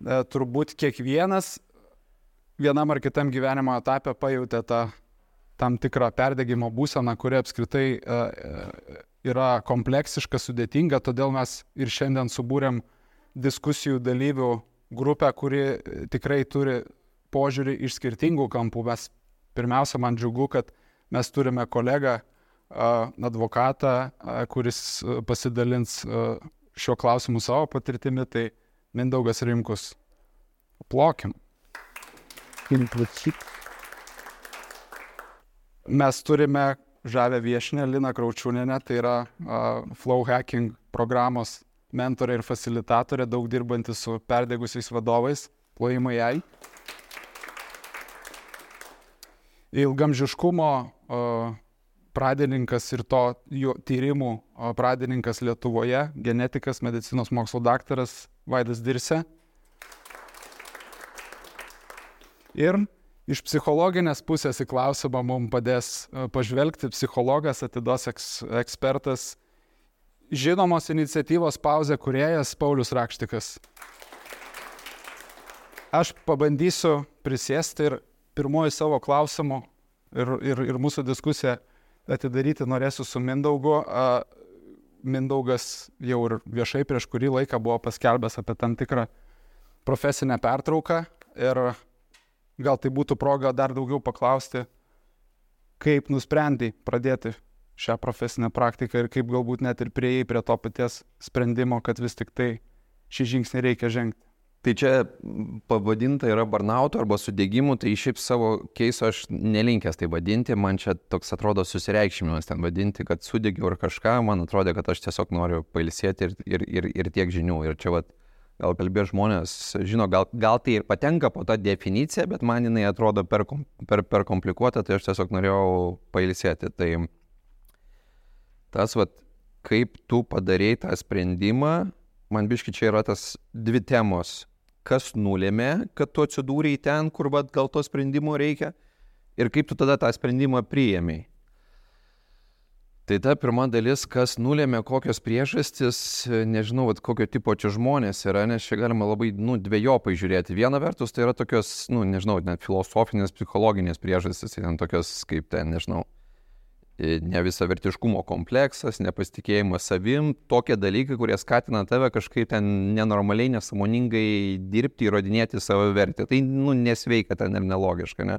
turbūt kiekvienas vienam ar kitam gyvenimo etape pajutė tą tam tikrą perdegimo būseną, kuri apskritai yra kompleksiška, sudėtinga, todėl mes ir šiandien subūrėm diskusijų dalyvių grupę, kuri tikrai turi požiūrį iš skirtingų kampų. Mes pirmiausia, man džiugu, kad mes turime kolegą, advokatą, kuris pasidalins šiuo klausimu savo patirtimi, tai Mindaugas Rimkus. Plokim. Mes turime žavę viešinę Liną Kraučiūnienę, tai yra Flow Hacking programos mentorė ir facilitatorė, daug dirbanti su perdegusiais vadovais. Plojimai jai. Ilgamžiškumo pradininkas ir to jo tyrimų pradininkas Lietuvoje, genetikas, medicinos mokslo daktaras Vaidas Dirsė. Ir iš psichologinės pusės į klausimą mums padės pažvelgti psichologas, atidos ekspertas, žinomos iniciatyvos Pauzė kūrėjas Paulius Rakštikas. Aš pabandysiu prisėsti ir pirmoji savo klausimų ir mūsų diskusiją atidaryti norėsiu su Mindaugu. Mindaugas jau ir viešai prieš kurį laiką buvo paskelbęs apie tam tikrą profesinę pertrauką ir gal tai būtų proga dar daugiau paklausti, kaip nusprendai pradėti šią profesinę praktiką ir kaip galbūt net ir priėjai prie to paties sprendimo, kad vis tik tai šį žingsnį reikia žengti. Tai čia pavadinta yra burnautu arba sudegimu, tai šiaip savo keiso aš nelinkęs tai vadinti, man čia toks atrodo susireikšminimas ten vadinti, kad sudegiau ar kažką, man atrodo, kad aš tiesiog noriu pailsėti ir tiek žinių. Ir čia gal kalbės žmonės, žino, gal tai ir patenka po tą definiciją, bet man jinai atrodo per komplikuota, tai aš tiesiog norėjau pailsėti. Tai tas, kaip tu padarei tą sprendimą, man biški čia yra tas dvi temos. Kas nulėmė, kad tu atsidūrei ten, kur gal to sprendimo reikia, ir kaip tu tada tą sprendimą priėmei. Tai ta pirma dalis, kas nulėmė, kokios priežastis, nežinau, kokio tipo čia žmonės yra, nes čia galima labai, dvejopai žiūrėti. Viena vertus, tai yra tokios, nežinau, net filosofinės, psichologinės priežastis, tai ten tokios, kaip ten, nežinau, nevisavertiškumo kompleksas, nepasitikėjimas savim, tokie dalykai, kurie skatina tave kažkaip ten nenormaliai, nesąmoningai dirbti, įrodinėti savo vertę. Tai, nesveika ten ir nelogiška, ne?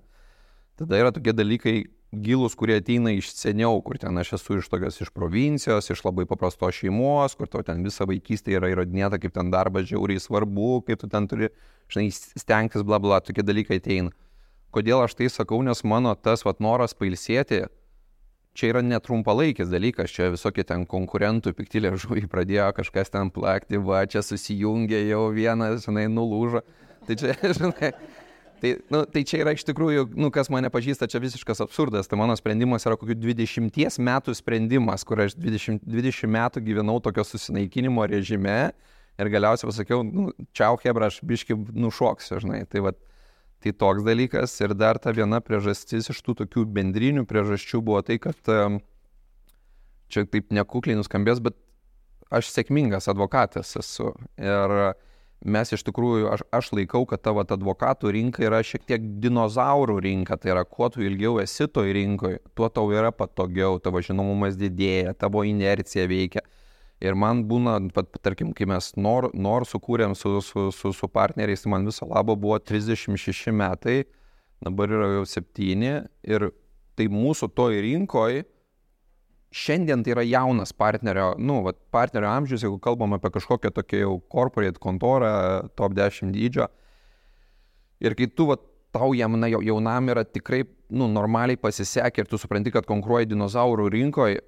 Tada yra tokie dalykai gilūs, kurie ateina iš seniau, kur ten aš esu iš provincijos, iš labai paprastos šeimos, kur tau ten visą vaikystę yra įrodinėta, kaip ten darbas žiauriai svarbu, kaip tu ten turi, stengtis, bla bla, tokie dalykai ateina. Kodėl aš tai sakau, nes mano tas noras pailsėti, čia yra netrumpalaikis dalykas, čia visokie ten konkurentų pikti liežuviai pradėjo kažkas ten plakti, čia susijungė jau vienas, nulūžo. Tai čia, tai čia yra iš tikrųjų, kas mane pažįsta, čia visiškas absurdas. Tai mano sprendimas yra kokių 20 metų sprendimas, kur aš 20 metų gyvenau tokio susinaikinimo režime ir galiausiai pasakiau, čiau hebra, aš biški nušoksiu, Tai toks dalykas ir dar ta viena priežastis iš tų tokių bendrinių priežasčių buvo tai, kad čia taip nekukliai nuskambės, bet aš sėkmingas advokatas esu ir mes iš tikrųjų, aš laikau, kad tavo advokatų rinka yra šiek tiek dinozaurų rinka, tai yra kuo tu ilgiau esi toj rinkoje, tuo tau yra patogiau, tavo žinomumas didėja, tavo inercija veikia. Ir man būna, tarkim, kai mes NOR sukūrėm su partneriais, tai man viso labo buvo 36 metai, dabar yra jau 7 ir tai mūsų toj rinkoj šiandien tai yra jaunas partnerio, partnerio amžius, jeigu kalbam apie kažkokią tokią jau corporate kontorą, top 10 dydžio. Ir kai tu tau jaunam yra tikrai normaliai pasisekė ir tu supranti, kad konkuruoji dinozaurų rinkoje,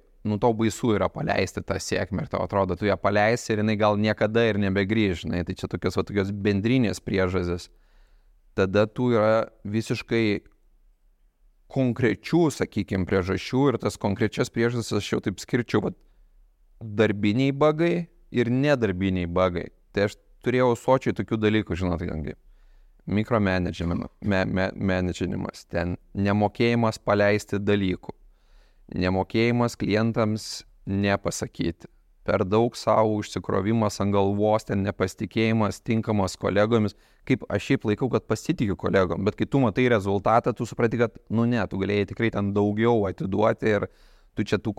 tau baisu yra paleisti tą sėkmę ir tau atrodo, tu ją paleisi ir jinai gal niekada ir nebegrįž, tai čia tokios bendrinės priežastys. Tada tu yra visiškai konkrečių, sakykime, priežasčių ir tas konkrečias priežastis aš jau taip skirčiau, darbiniai bagai ir nedarbiniai bagai. Tai aš turėjau sočiai tokių dalykų, kaip mikromanagemenimas, ten nemokėjimas paleisti dalykų. Nemokėjimas klientams nepasakyti. per daug savo užsikrovimas ant galvos, ten nepasitikėjimas, tinkamas kolegomis, kaip aš šiaip laikau, kad pasitikiu kolegom, bet kai tu matai rezultatą, tu supranti, kad, tu galėjai tikrai ten daugiau atiduoti ir tu čia tų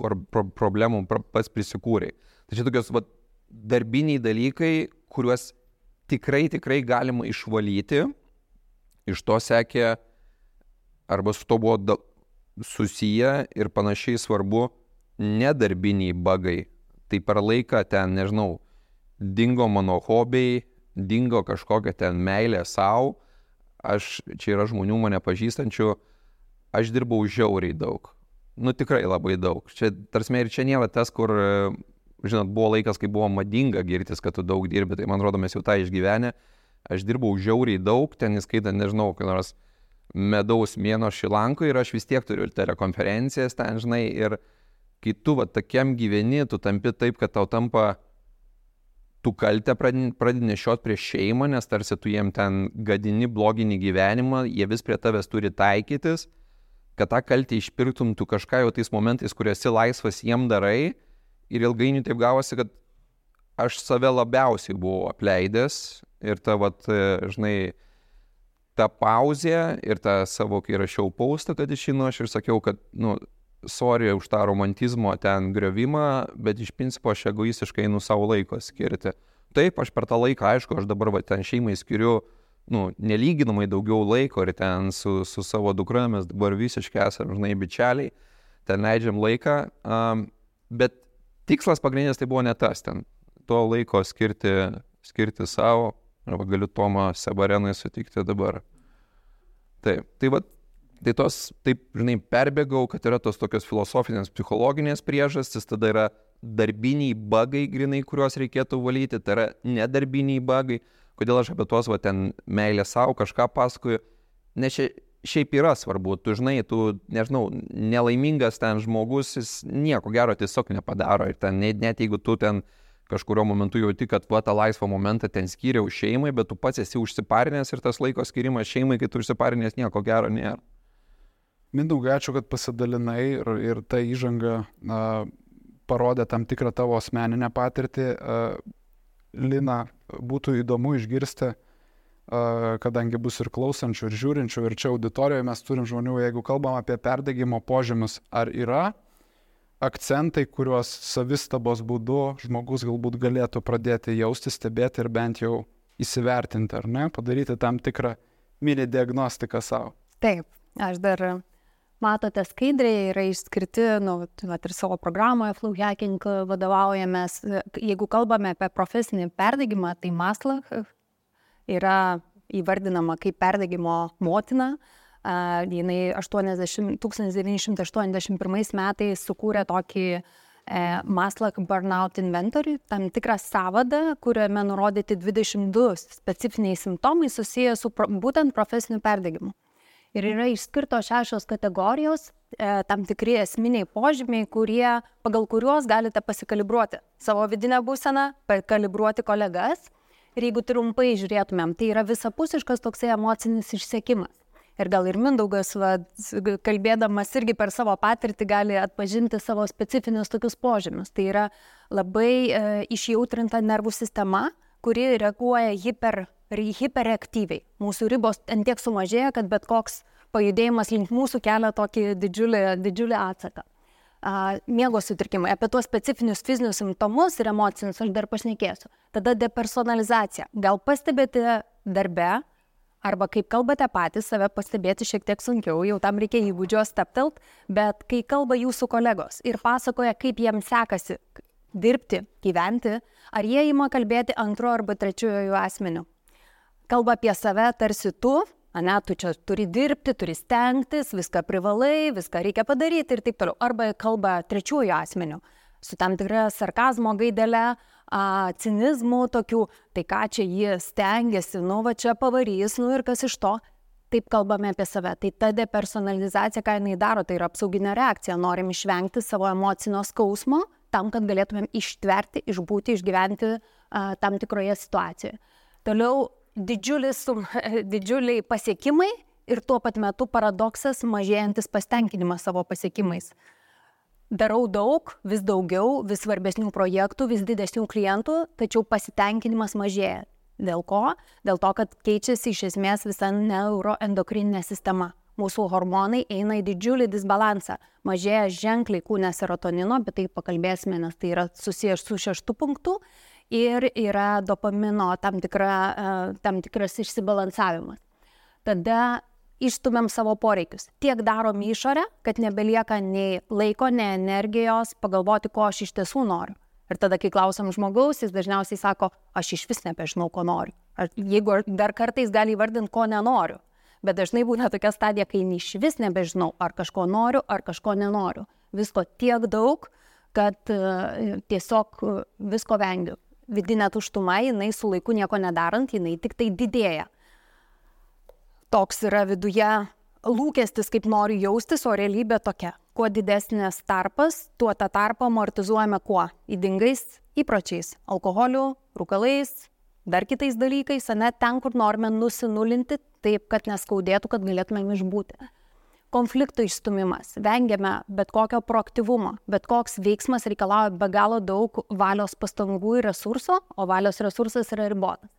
problemų pats prisikūrei. Tai čia tokios darbiniai dalykai, kuriuos tikrai galima išvalyti, iš to sekė, arba su to buvo susiję ir panašiai svarbu nedarbiniai bagai. Tai per laiką ten, nežinau, dingo mano hobiai, dingo kažkokia ten meilė savo, čia yra žmonių mane pažįstančių, aš dirbau žiauriai daug. Tikrai labai daug. Čia, tarsime, ir čia nėra tas, kur, žinot, buvo laikas, kai buvo madinga girtis, kad tu daug dirbi, tai man rodo, mes jau tą išgyvenę. Aš dirbau žiauriai daug, ten įskaitant, nežinau, kai nors medaus mėno Šilankoje ir aš vis tiek turiu telekonferencijas ten, žinai, ir kai tu tokiam gyveni, tu tampi taip, kad tau tampa, tu kaltę pradedi nešiot prieš šeimą, nes tarsi tu jiem ten gadini, blogini gyvenimą, jie vis prie tavęs turi taikytis, kad tą kaltę išpirktum tu kažką jau tais momentais, kur esi laisvas, jiem darai, ir ilgainiui taip gavosi, kad aš save labiausiai buvau apleidęs ir ta, žinai, ta pauzė ir ta savo, kai rašiau postą, kad išeinu, aš ir sakiau, kad, sorry už tą romantizmo ten griovimą, bet iš principo aš egoistiškai einu savo laiko skirti. Taip, aš per tą laiką, aišku, aš dabar ten šeimai skiriu, nelyginamai daugiau laiko ir ten su savo dukra mes dabar visiškai esame, žinai, bičialiai, ten leidžiam laiką, bet tikslas pagrindinis tai buvo ne tas ten. To laiko skirti savo, arba galiu Tomą Sebarenui sutikti dabar. Taip, tai taip, žinai, perbėgau, kad yra tos tokios filosofinės, psichologinės priežastys, tada yra darbiniai bagai grinai, kuriuos reikėtų valyti, tai yra nedarbiniai bagai. Kodėl aš apie tuos ten meilę savo kažką pasakoju, nes šiaip yra svarbu, tu žinai, nežinau, nelaimingas ten žmogus, jis nieko gero tiesiog nepadaro ir ten, net jeigu tu ten kažkurio momentu jauti, kad tą laisvą momentą ten skyriau šeimai, bet tu pats esi užsiparinęs ir tas laiko skirimas šeimai, kai tu užsiparinęs, nieko gero nėra. Mindaugai, ačiū, kad pasidalinai ir ta įžanga parodė tam tikrą tavo asmeninę patirtį. Lina, būtų įdomu išgirsti, kadangi bus ir klausančių, ir žiūrinčių, ir čia auditorijoje mes turim žmonių, jeigu kalbam apie perdegimo požymius, ar yra akcentai, kuriuos savistabos būdu žmogus galbūt galėtų pradėti jausti, stebėti ir bent jau įsivertinti, ar ne, padaryti tam tikrą mini diagnostiką savo. Taip, aš dar... Matote, skaidriai yra išskirti, ir savo programoje Flow Hacking vadovaujamės. Jeigu kalbame apie profesinį perdegimą, tai Maslach yra įvardinama kaip perdegimo motina. Jinai 1981 metais sukūrė tokį Maslach Burnout Inventory, tam tikrą sąvadą, kuriame nurodyti 22 specifiniai simptomai susiję su būtent profesiniu perdegimu. Ir yra išskirtos 6 kategorijos, tam tikri esminiai požymiai, pagal kuriuos galite pasikalibruoti savo vidinę būseną, pakalibruoti kolegas. Ir jeigu trumpai žiūrėtumėm, tai yra visapusiškas toksai emocinis išsekimas. Ir gal ir Mindaugas, kalbėdamas irgi per savo patirtį, gali atpažinti savo specifinius tokius požymius. Tai yra labai išjautrinta nervų sistema, kuri reaguoja hiperaktyviai. Mūsų ribos tiek sumažėja, kad bet koks pajudėjimas link mūsų kelia tokį didžiulį atsaką. Miego sutrikimai. Apie tuos specifinius fizinius simptomus ir emocinius aš dar pašnekėsiu. Tada depersonalizacija. Gal pastebėte darbe, arba kaip kalbate patys, save pastebėti šiek tiek sunkiau, jau tam reikia įgūdžio steptelt, bet kai kalba jūsų kolegos ir pasakoja, kaip jiems sekasi dirbti, gyventi, ar jie ima kalbėti antro arba trečiojo asmeniu. Kalba apie save tarsi tu čia turi dirbti, turi stengtis, viską privalai, viską reikia padaryti ir taip toliau. Arba kalba trečiųjų asmenių, su tam tikra sarkazmo gaidelė, cinizmų tokių, tai ką čia jie stengiasi, čia pavarys, ir kas iš to. Taip kalbame apie save. Tai ta depersonalizacija, ką jinai daro, tai yra apsauginė reakcija. Norim išvengti savo emocinio skausmo, tam, kad galėtumėm ištverti, išbūti, išgyventi tam tikroje situacijoje. Toliau didžiuliai pasiekimai ir tuo pat metu paradoksas mažėjantis pasitenkinimas savo pasiekimais. darau daug, vis daugiau, vis svarbesnių projektų, vis didesnių klientų, tačiau pasitenkinimas mažėja. Dėl ko? Dėl to, kad keičiasi iš esmės visa neuroendokrininė sistema. Mūsų hormonai eina į didžiulį disbalansą. Mažėja ženkliai kūne serotonino, bet tai pakalbėsime, nes tai yra susijęs su 6 punktu. Ir yra dopamino tam tikras išsibalansavimas. Tada išstumiam savo poreikius. Tiek darom išorę, kad nebelieka nei laiko, nei energijos pagalvoti, ko aš iš tiesų noriu. Ir tada, kai klausom žmogaus, jis dažniausiai sako, aš iš vis nebežinau, ko noriu. Jeigu dar kartais gali įvardinti, ko nenoriu. Bet dažnai būna tokia stadija, kai iš vis nebežinau, ar kažko noriu, ar kažko nenoriu. Visko tiek daug, kad tiesiog visko vengiu. Vidinė tuštuma, jinai su laiku nieko nedarant, jinai tik tai didėja. Toks yra viduje lūkestis, kaip noriu jaustis, o realybė tokia. Kuo didesnis tarpas, tuo tą tarpą amortizuojame kuo? Ydingais įpročiais, alkoholiu, rūkalais, dar kitais dalykais, net ten, kur norime nusinulinti, taip, kad neskaudėtų, kad galėtumėm išbūti. Konflikto išstumimas. Vengiame bet kokio proaktyvumo. Bet koks veiksmas reikalauja be galo daug valios pastangų ir resurso, o valios resursas yra ribotas.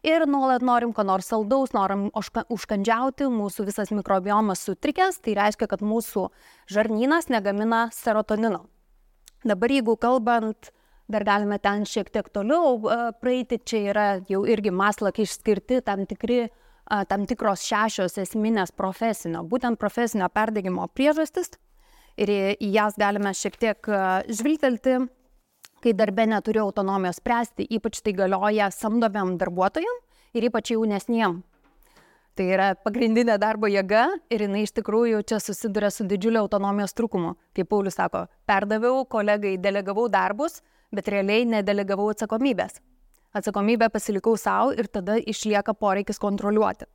Ir nuolat norim ko nors saldaus, norim užkandžiauti, mūsų visas mikrobiomas sutrikęs, tai reiškia, kad mūsų žarnynas negamina serotonino. Dabar jeigu kalbant, dar galime ten šiek tiek toliau praeiti, čia yra jau irgi Maslach išskirti tam tikros 6 esminės būtent profesinio perdegimo priežastis, ir į jas galime šiek tiek žvilgtelti. Kai darbe neturi autonomijos spręsti, ypač tai galioja samdomiam darbuotojam ir ypač jaunesniem. Tai yra pagrindinė darbo jėga ir jinai iš tikrųjų čia susiduria su didžiuliu autonomijos trūkumu. Kaip Paulius sako, perdaviau kolegai, delegavau darbus, bet realiai nedelegavau atsakomybės. Atsakomybę pasilikau savo ir tada išlieka poreikis kontroliuoti.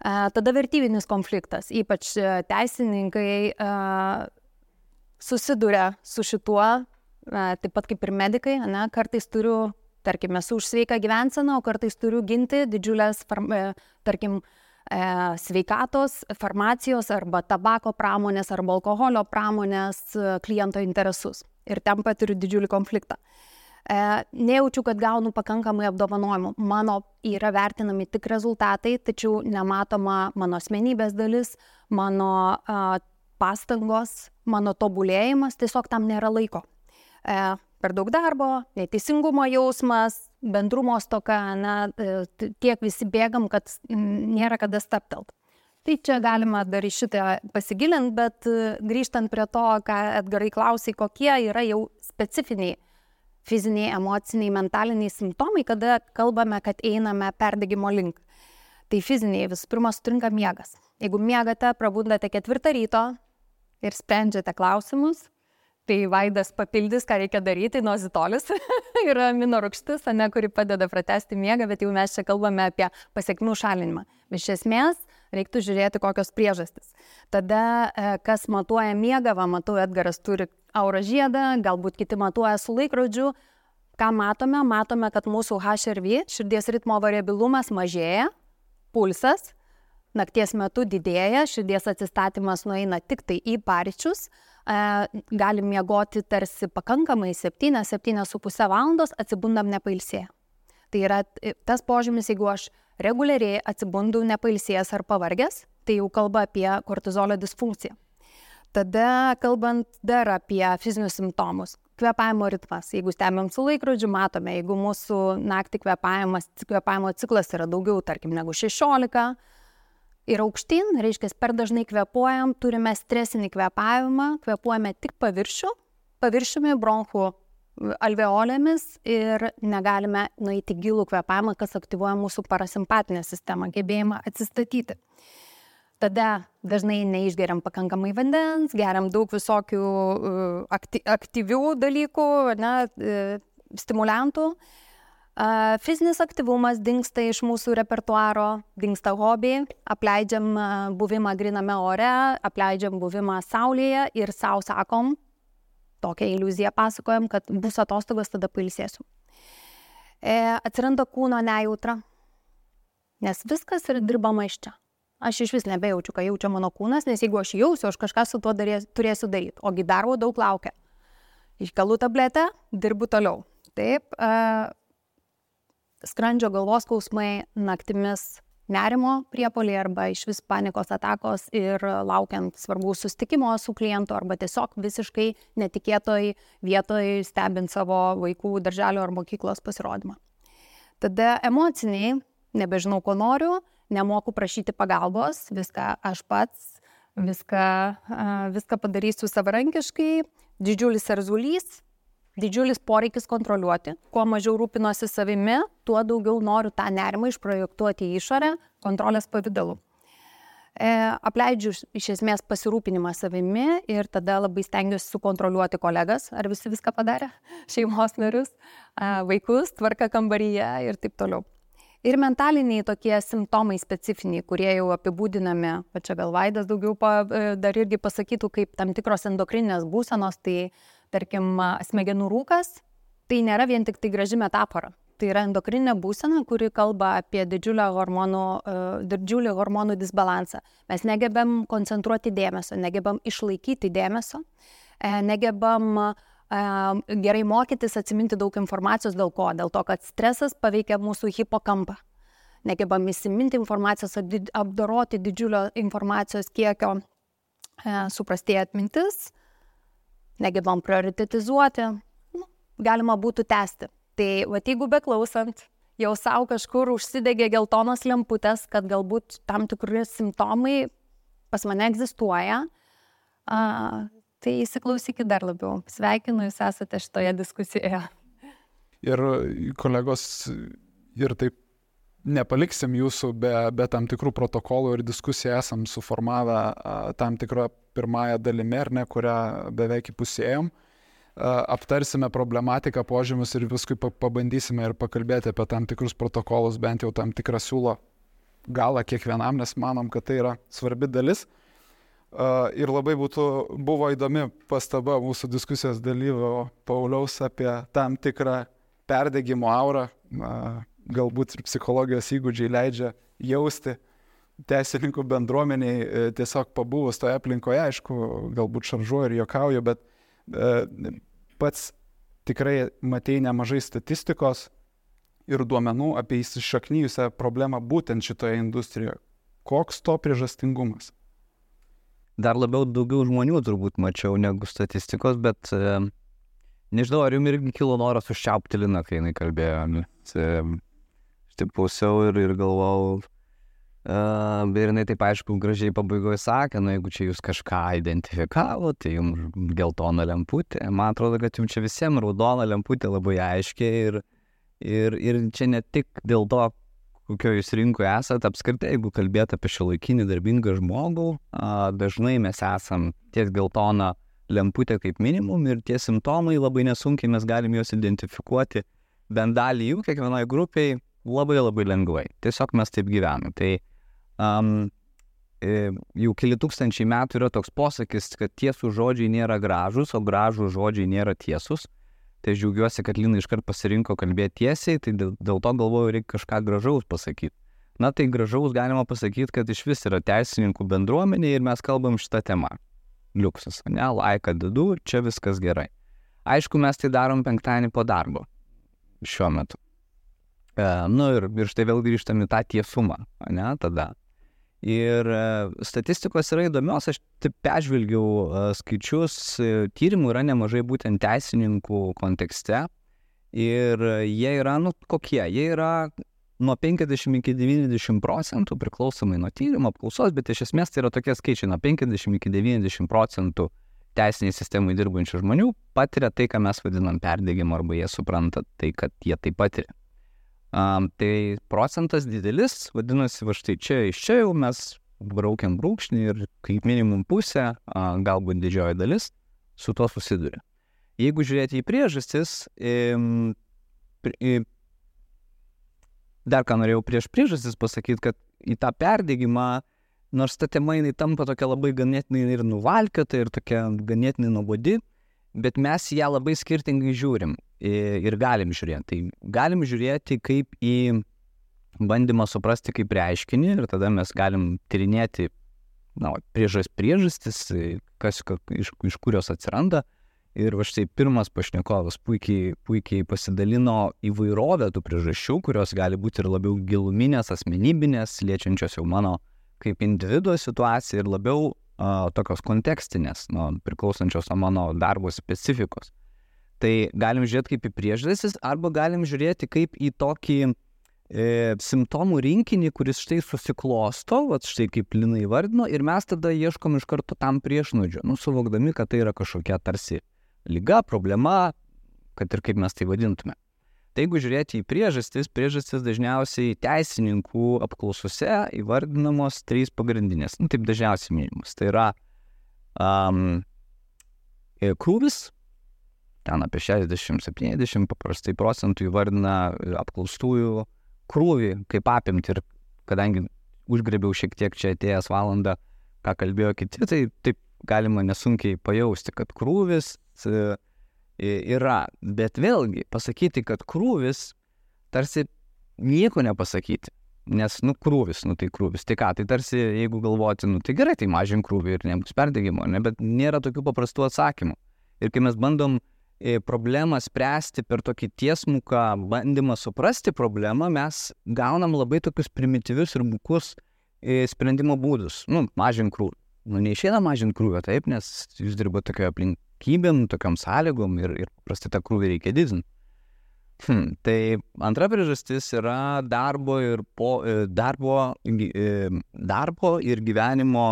Tada vertybinis konfliktas, ypač teisininkai susiduria su šituo, taip pat kaip ir medikai, kartais turiu, tarkim, esu už sveiką gyvenseną, o kartais turiu ginti didžiulės, sveikatos, farmacijos arba tabako pramonės arba alkoholio pramonės kliento interesus. Ir ten patiriu didžiulį konfliktą. Nejaučiu, kad gaunu pakankamai apdovanojimų. Mano yra vertinami tik rezultatai, tačiau nematoma mano asmenybės dalis, mano pastangos, mano tobulėjimas, tiesiog tam nėra laiko. Per daug darbo, neteisingumo jausmas, bendrumo stoka, tiek visi bėgam, kad nėra kada stabtelt. Tai čia galima dar į šitą pasigilinti, bet grįžtant prie to, ką Edgarai klausai, kokie yra jau specifiniai fiziniai, emociniai, mentaliniai simptomai, kada kalbame, kad einame perdegimo link. Tai fiziniai visų pirma sutrinka miegas. Jeigu miegate, prabundate 4 ryto ir sprendžiate klausimus, tai Vaidas papildys, ką reikia daryti, nozitolis yra aminorūgštis, kuri padeda pratęsti miegą, bet jau mes čia kalbame apie pasekmių šalinimą. Iš esmės, reiktų žiūrėti, kokios priežastys. Tada, kas matuoja miegą, matau, Edgaras turi auro žiedą, galbūt kiti matuoja su laikrodžiu. Ką matome? Matome, kad mūsų HRV, širdies ritmo variabilumas mažėja, pulsas nakties metu didėja, širdies atsistatymas nueina tik tai į paryčius, galim miegoti tarsi pakankamai 7-7,5 valandos, atsibundam nepailsėję. Tai yra tas požymis, jeigu aš reguliariai atsibundu nepailsėjęs ar pavargęs, tai jau kalba apie kortizolio disfunkciją. Tada kalbant dar apie fizinius simptomus. Kvėpavimo ritmas. Jeigu stebim su laikrodžiu, matome, jeigu mūsų naktį kvėpavimo ciklas yra daugiau, tarkim, negu 16, ir aukštyn, reiškia, per dažnai kvėpuojam, turime stresinį kvėpavimą, kvėpuojame tik paviršiumi, bronchų alveolėmis ir negalime nueiti gilų kvėpavimą, kas aktyvuoja mūsų parasimpatinę sistemą, gebėjimą atsistatyti. Tada dažnai neišgeriam pakankamai vandens, geriam daug visokių aktyvių dalykų, stimuliantų. Fizinis aktyvumas dingsta iš mūsų repertuaro, dingsta hobiai, apleidžiam buvimą gryname ore, apleidžiam buvimą saulėje ir sau sakom, tokią iliuziją pasakojam, kad bus atostogos, tada pailsėsiu. Atsiranda kūno nejautra, nes viskas yra dirbama iš čia. Aš iš vis nebejaučiu, ką jaučia mano kūnas, nes jeigu aš jausiu, aš kažką su tuo turėsiu daryti, ogi darbo daug laukia. iškelu tabletę, dirbu toliau. Taip, skrandžio galvos skausmai, naktimis nerimo priepuoliai arba iš vis panikos atakos ir laukiant svarbaus susitikimo su klientu arba tiesiog visiškai netikėtoj vietoj stebint savo vaikų darželio ar mokyklos pasirodymą. Tada emociniai, nebežinau, ko noriu, nemoku prašyti pagalbos, viską aš pats, viską padarysiu savarankiškai, didžiulis erzulys, didžiulis poreikis kontroliuoti. Kuo mažiau rūpinosi savimi, tuo daugiau noriu tą nerimą išprojektuoti į išorę kontrolės pavidalu. Apleidžiu iš esmės pasirūpinimą savimi ir tada labai stengiuosi sukontroliuoti kolegas, ar visi viską padarė, šeimos narius, vaikus, tvarką kambaryje ir taip toliau. Ir mentaliniai tokie simptomai specifiniai, kurie jau apibūdinami, čia gal Vaidas daugiau dar irgi pasakytų, kaip tam tikros endokrininės būsenos, tai tarkim smegenų rūkas, tai nėra vien tik tai graži metafora. Tai yra endokrininė būsena, kuri kalba apie didžiulį hormonų disbalansą. Mes negebam koncentruoti dėmesio, negebam išlaikyti dėmesio, negebam gerai mokytis, atsiminti daug informacijos. Dėl ko? Dėl to, kad stresas paveikia mūsų hipokampą. Negebam įsiminti informacijos, apdoroti didžiulio informacijos kiekio, suprastėja atmintis, negebam prioritetizuoti, galima būtų tęsti. Tai jeigu beklausant, jau savo kažkur užsidegė geltonos lemputės, kad galbūt tam tikri simptomai pas mane egzistuoja, tai įsiklausykit dar labiau. Sveikinu, jūs esate šitoje diskusijoje. Ir kolegos, ir taip nepaliksim jūsų be tam tikrų protokolų ir diskusijų esam suformavę tam tikrą pirmąją dalimi, ar ne, kurią beveik įpusėjom. Aptarsime problematiką, požymius ir paskui pabandysime ir pakalbėti apie tam tikrus protokolus, bent jau tam tikrą siūlo galą kiekvienam, nes manom, kad tai yra svarbi dalis. Ir labai buvo įdomi pastaba mūsų diskusijos dalyvio Pauliaus apie tam tikrą perdegimo aurą, galbūt ir psichologijos įgūdžiai leidžia jausti teisininkų bendruomeniai tiesiog pabuvus toje aplinkoje, aišku, galbūt šaržuoju ir juokauju, bet pats tikrai matei nemažai statistikos ir duomenų apie įsišaknyjusią problemą būtent šitoje industrijoje. Koks to priežastingumas? Dar daugiau žmonių turbūt mačiau negu statistikos, bet nežinau, ar jums irgi kilo noras užčiaupti Liną, kai jinai kalbėjo. Aš taip klausiau ir galvojau, ir jinai taip aišku gražiai pabaigoje sakė, jeigu čia jūs kažką identifikavo, tai jums geltona lemputė. Man atrodo, kad jums čia visiems raudona lemputė labai aiškiai ir čia ne tik dėl to, kokio jūs rinkoje esate, apskritai, jeigu kalbėt apie šiuolaikinį darbingą žmogų, dažnai mes esam ties geltona lemputė kaip minimum ir tie simptomai labai nesunkiai mes galim juos identifikuoti, bent dalį jų kiekvienoje grupėje labai lengvai. Tiesiog mes taip gyvenam. Tai jau keli tūkstančiai metų yra toks posakis, kad tiesų žodžiai nėra gražus, o gražų žodžiai nėra tiesus. Tai aš džiaugiuosi, kad Lina iškart pasirinko kalbėti tiesiai, tai dėl to galvoju, reikia kažką gražaus pasakyti. Na tai gražaus galima pasakyti, kad iš vis yra teisininkų bendruomenė ir mes kalbam šitą temą. Liuksas, ne, laiką dedu, čia viskas gerai. Aišku, mes tai darom penktadienį po darbo šiuo metu. Ir štai vėl grįžtam į tą tiesumą, ne, tada. Ir statistikos yra įdomios, aš taip peržvelgiau skaičius, tyrimų yra nemažai būtent teisininkų kontekste ir jie yra, kokie, jie yra nuo 50 iki 90% priklausomai nuo tyrimo apklausos, bet iš esmės tai yra tokie skaičiai, nuo 50 iki 90% teisiniai sistemai dirbančių žmonių patiria tai, ką mes vadinam perdegimu, arba jie supranta tai, kad jie tai patiria. Tai procentas didelis, vadinasi, va štai iš čia jau mes braukiam brūkšnį ir kaip minimum pusę, galbūt didžioji dalis, su to susiduria. Jeigu žiūrėti į priežastis, dar ką norėjau prieš priežastis pasakyti, kad į tą perdegimą, nors ta tema jinai tampa tokia labai ganėtinai ir nuvalkiota ir tokia ganėtinai nuobodi, bet mes ją labai skirtingai žiūrim ir galim žiūrėti. Tai galim žiūrėti kaip į bandymą suprasti kaip reiškinį ir tada mes galim tyrinėti priežastis, iš kur jos atsiranda Ir va štai pirmas pašnekovas puikiai pasidalino įvairovę tų priežasčių, kurios gali būti ir labiau giluminės, asmenybinės, liečiančios jau mano kaip individuo situaciją ir labiau tokios kontekstinės, priklausančios nuo mano darbo specifikos. Tai galim žiūrėti kaip į priežastis arba galim žiūrėti kaip į tokį simptomų rinkinį, kuris štai susiklosto, štai kaip Lina įvardino, ir mes tada ieškom iš karto tam priešnuodžio, suvokdami, kad tai yra kažkokia tarsi liga, problema, kad ir kaip mes tai vadintume. Tai jeigu žiūrėti į priežastis dažniausiai teisininkų apklausose įvardinamos 3 pagrindinės, taip dažniausiai minimas. Tai yra krūvis, ten apie 60-70 paprastai procentų įvardina apklaustųjų krūvį kaip apimti, ir kadangi užgrėbiau šiek tiek čia atėjęs valandą, ką kalbėjo kiti, tai taip galima nesunkiai pajausti, kad krūvis yra, bet vėlgi pasakyti, kad krūvis tarsi nieko nepasakyti, nes krūvis, tai krūvis, tai ką, tai tarsi jeigu galvoti, tai gerai, tai mažink krūvį ir nebus perdegimo, bet nėra tokių paprastų atsakymų. Ir kai mes bandom problemą spręsti per tokį tiesmuką bandymą suprasti problemą, mes gaunam labai tokius primityvius ir bukus sprendimo būdus. Mažink krūvį. Neišeina mažinti krūvio, taip, nes jūs dirbote tokio aplinkybėm, tokiam sąlygom ir paprastai tą krūvį reikia didinti. Tai antra priežastis yra darbo ir gyvenimo,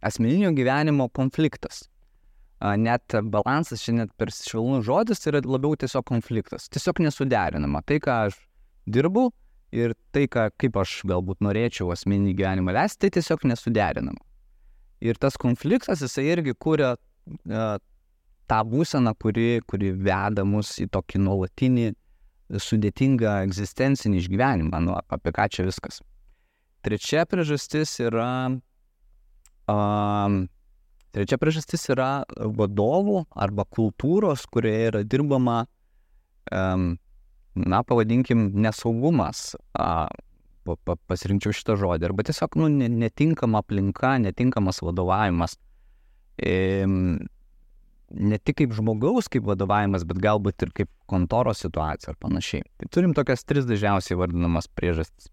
asmeninio gyvenimo konfliktas. Net balansas, čia net per švelnus žodis, tai yra labiau tiesiog konfliktas. Tiesiog nesuderinama. Tai, ką aš dirbu ir tai, kaip aš galbūt norėčiau asmeninį gyvenimą leisti, tai tiesiog nesuderinama. Ir tas konfliktas, jisai irgi kuria tą būseną, kuri veda mus į tokį nuolatinį, sudėtingą egzistencinį išgyvenimą. Apie ką čia viskas. Trečia priežastis yra vadovų arba kultūros, kurioje yra dirbama, pavadinkim, nesaugumas, pasirinkčiau šitą žodį, arba tiesiog netinkama aplinka, netinkamas vadovavimas, ne tik kaip žmogaus kaip vadovavimas, bet galbūt ir kaip kontoros situacija ar panašiai. Tai turim tokias 3 dažniausiai vardinamas priežastis.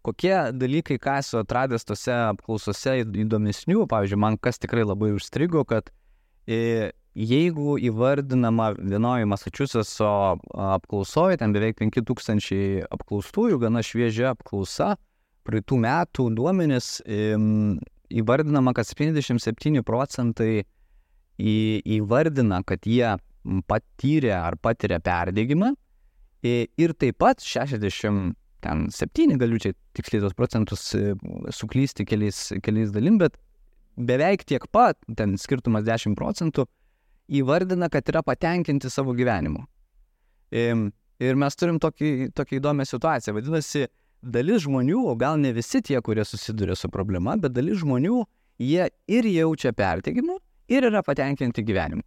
Kokie dalykai, ką esu atradęs tose apklausose įdomesnių, pavyzdžiui, man kas tikrai labai užstrigo, kad jeigu įvardinama vienoje Massachusettso apklausoje, ten beveik 5000 apklaustųjų, gana šviežia apklausa, praeitų metų duomenis, įvardinama, kad 77% įvardina, kad jie patyrė ar patiria perdegimą, ir taip pat 67, galiu čia tiksliai tos procentus suklysti keliais dalim, bet beveik tiek pat, ten skirtumas 10%, įvardina, kad yra patenkinti savo gyvenimu. Ir mes turim tokį įdomią situaciją. Vadinasi, dalis žmonių, o gal ne visi tie, kurie susiduria su problema, bet dalis žmonių, jie ir jaučia perdegimą, ir yra patenkinti gyvenimu.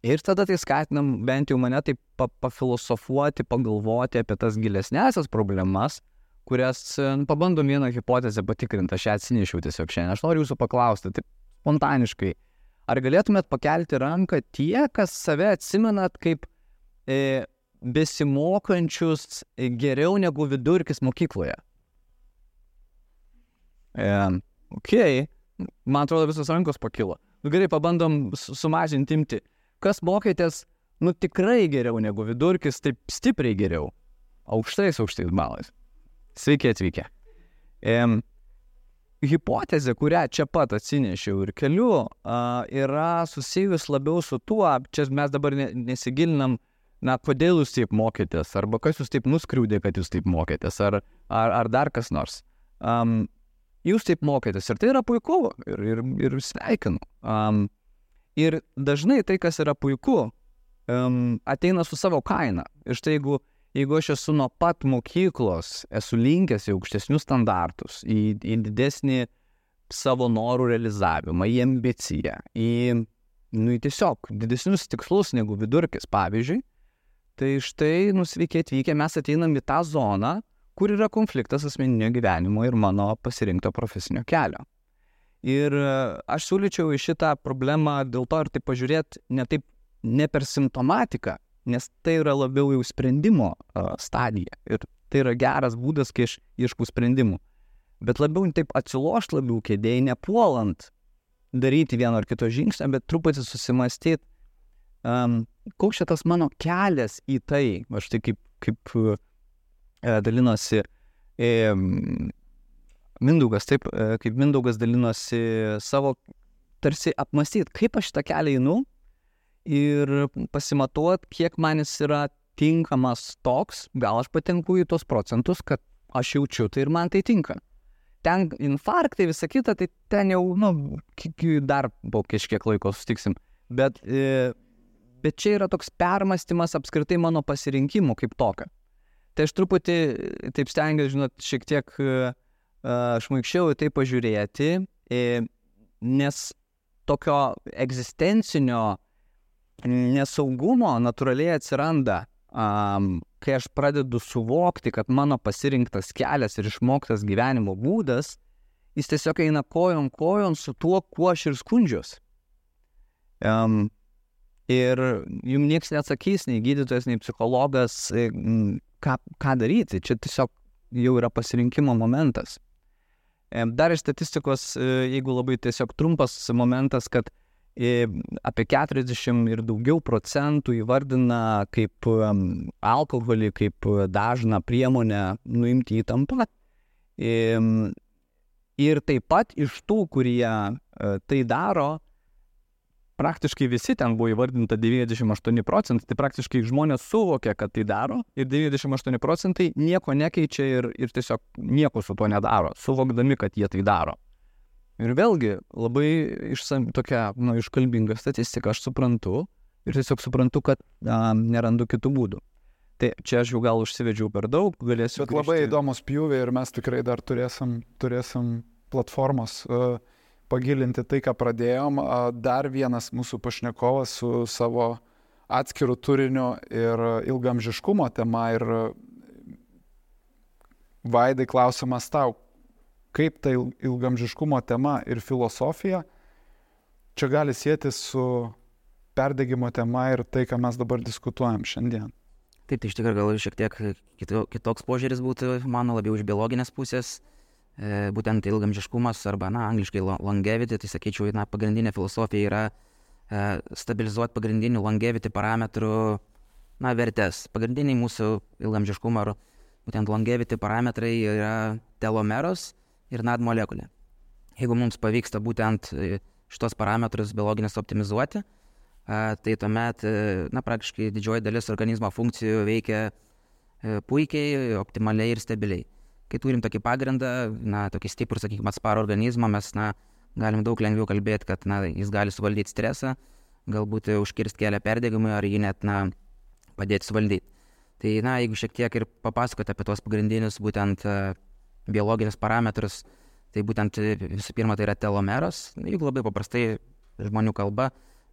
Ir tada tai skatinam bent jau mane taip pafilosofuoti, pagalvoti apie tas gilesnesias problemas, kurias pabandom vieną hipotezę patikrinti. Aš ją atsinešiau tiesiog šiandien. Aš noriu jūsų paklausti, taip spontaniškai, ar galėtumėt pakelti ranką tie, kas save atsimenat kaip besimokančius geriau negu vidurkis mokykloje? Man atrodo, visos rankos pakilo. Gerai, pabandom sumažinti imti. Kas mokėtės, tikrai geriau negu vidurkis, taip stipriai geriau. Aukštais balais. Sveiki atvykę. Hipotezė, kurią čia pat atsinešiau ir keliu, yra susijus labiau su tuo, čia mes dabar nesigilinam, kodėl jūs taip mokėtės, arba kas jūs taip nuskriaudė, kad jūs taip mokėtės, ar dar kas nors. Jūs taip mokėtės ir tai yra puiku ir sveikinu. Ir dažnai tai, kas yra puiku, ateina su savo kaina. Ir štai jeigu aš esu nuo pat mokyklos, esu linkęs į aukštesnius standartus, į didesnį savo norų realizavimą, į ambiciją, į tiesiog didesnius tikslus negu vidurkis, pavyzdžiui, tai štai, sveiki atvykę, mes ateinam į tą zoną, kur yra konfliktas asmeninio gyvenimo ir mano pasirinkto profesinio kelio. Ir aš siūlyčiau į šitą problemą dėl to ir taip pažiūrėti ne per simptomatiką, nes tai yra labiau jau sprendimo stadija. Ir tai yra geras būdas, kai aš ieškau sprendimų. Bet labiau taip atsilošti labiau kėdėjai, nepuolant daryti vieno ar kito žingsnio, bet truputį susimastyti, koks šitas mano kelias į tai, aš tai kaip dalinosi Mindaugas, taip, kaip Mindaugas dalinosi savo, tarsi apmastyti, kaip aš šitą kelią einu ir pasimatuot, kiek man jis yra tinkamas toks, gal aš patenku į tos procentus, kad aš jaučiu tai ir man tai tinka. Ten infarktai, visa kita, tai ten jau, dar po kažkiek laiko sustiksim. Bet čia yra toks permastymas apskritai mano pasirinkimų kaip tokio. Tai aš truputį, taip stengiuosi, žinot, šiek tiek šmaikščiau į tai pažiūrėti, nes tokio egzistencinio nesaugumo natūraliai atsiranda, kai aš pradedu suvokti, kad mano pasirinktas kelias ir išmoktas gyvenimo būdas, jis tiesiog eina kojon su tuo, kuo aš ir skundžiuosi. Ir jums nieks neatsakys, nei gydytojas, nei psichologas, ką daryti. Čia tiesiog jau yra pasirinkimo momentas. Dar iš statistikos, jeigu labai tiesiog trumpas momentas, kad apie 40 ir daugiau procentų įvardina kaip alkoholį, kaip dažną priemonę nuimti įtampą. Ir taip pat iš tų, kurie tai daro, praktiškai visi ten buvo įvardinta 98 procentai, tai praktiškai žmonės suvokia, kad tai daro ir 98 procentai nieko nekeičia ir tiesiog nieko su tuo nedaro, suvokdami, kad jie tai daro. Ir vėlgi labai tokia iškalbinga statistika aš suprantu ir tiesiog suprantu, kad nerandu kitų būdų. Tai čia aš jau gal užsivedžiau per daug, galėsiu. Bet labai įdomus pjūvė ir mes tikrai dar turėsim platformos pagilinti tai, ką pradėjom. Dar vienas mūsų pašnekovas su savo atskiru turiniu ir ilgamžiškumo tema. Ir Vaidai, klausimas tau, kaip ta ilgamžiškumo tema ir filosofija čia gali sieti su perdegimo tema ir tai, ką mes dabar diskutuojam šiandien? Taip, tai iš tikrųjų gal šiek tiek kitoks požiūris būtų mano, labiau iš biologinės pusės. Būtent ilgamžiškumas arba, angliškai longevity, tai sakyčiau, pagrindinė filosofija yra stabilizuoti pagrindinių longevity parametrų, vertės. Pagrindiniai mūsų ilgamžiškumo ar būtent longevity parametrai yra telomeros ir NAD molekulė. Jeigu mums pavyksta būtent šitos parametrus biologinės optimizuoti, tai tuomet, praktiškai didžioji dalis organizmo funkcijų veikia puikiai, optimaliai ir stabiliai. Kai turim tokį pagrindą, tokį stiprų, sakykime, atsparų organizmą, mes galim daug lengviau kalbėti, kad jis gali suvaldyti stresą, galbūt užkirsti kelią perdegimui ar jį net padėti suvaldyti. Tai jeigu šiek tiek ir papasakoti apie tos pagrindinius būtent biologinius parametrus, tai būtent visų pirma tai yra telomeros. Jeigu labai paprastai žmonių kalba,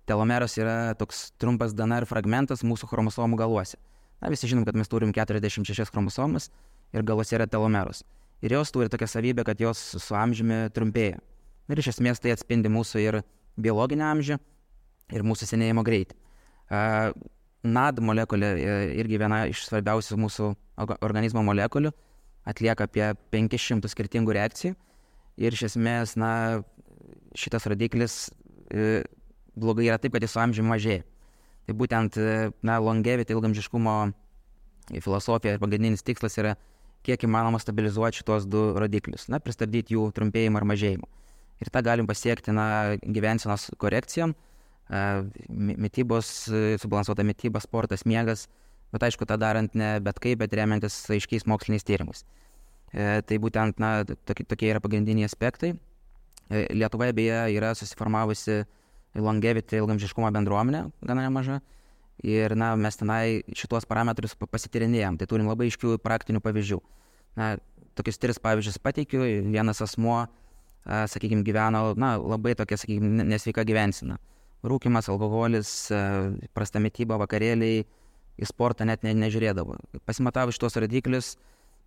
telomeros yra toks trumpas DNR fragmentas mūsų chromosomų galuose. Visi žinom, kad mes turim 46 chromosomus ir galuose yra telomeros. Ir jos turi tokią savybę, kad jos su amžiumi trumpėja. Ir iš esmės tai atspindi mūsų ir biologinį amžių, ir mūsų senėjimo greitį. NAD molekulė irgi viena iš svarbiausių mūsų organizmo molekulių, atlieka apie 500 skirtingų reakcijų. Ir iš esmės, šitas rodiklis blogai yra taip, kad jis su amžiumi mažėja. Tai būtent longevity, ilgamžiškumo filosofija ir pagrindinis tikslas yra kiek įmanoma stabilizuoti šitos du rodiklius, pristabdyti jų trumpėjimą ar mažėjimą. Ir tą galim pasiekti gyvensenos korekcijom, subalansuota mityba, sportas, miegas, bet aišku, tą darant ne bet kaip, bet remiantis aiškiais moksliniais tyrimais. Tai būtent tokie yra pagrindiniai aspektai. Lietuvoje beje yra susiformavusi longevity, ilgamžiškumo bendruomenė, gana nemaža. Ir mes tenai šitos parametrus pasityrinėjom. Tai turim labai aiškių praktinių pavyzdžių. Tokius 3 pavyzdžius pateikiu. Vienas asmuo, sakykime, gyveno labai tokia, sakykime, nesveika gyvensena. Rūkymas, alkoholis, prasta mityba, vakarėliai, į sportą net nežiūrėdavo. Pasimatavo šitos rodiklius,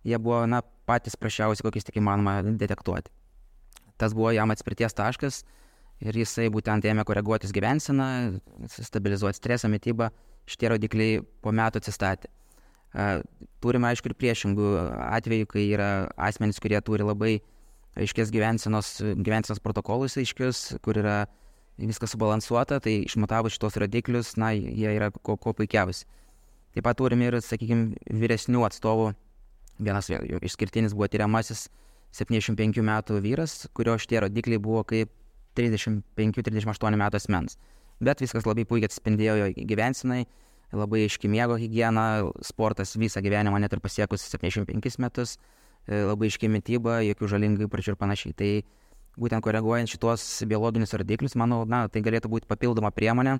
jie buvo patys prašiausi, kokiais tik įmanoma detektuoti. tas buvo jam atspirties taškas ir jisai būtent ėmė koreguotis gyvenseną, stabilizuoti stresą, mitybą, šitie rodikliai po metų atsistatė. Turime aišku ir priešingų atvejų, kai yra asmenys, kurie turi labai aiškės gyvensenos protokolus aiškius, kur yra viskas subalansuota, tai išmatavus šitos rodiklius, jie yra ko puikiausi. Taip pat turime ir, sakykime, vyresnių atstovų. Vienas išskirtinis buvo tyriamasis 75 metų vyras, kurio šitie rodikliai buvo kaip 35-38 metų asmens. Bet viskas labai puikiai atsispindėjo jo gyvensenai, labai aiški miego higiena, sportas visą gyvenimą net ir pasiekus 75 metus, labai aiški mityba, jokių žalingų įpročių ir panašiai. Tai būtent koreguojant šitos biologinius rodiklius, manau, tai galėtų būti papildoma priemonė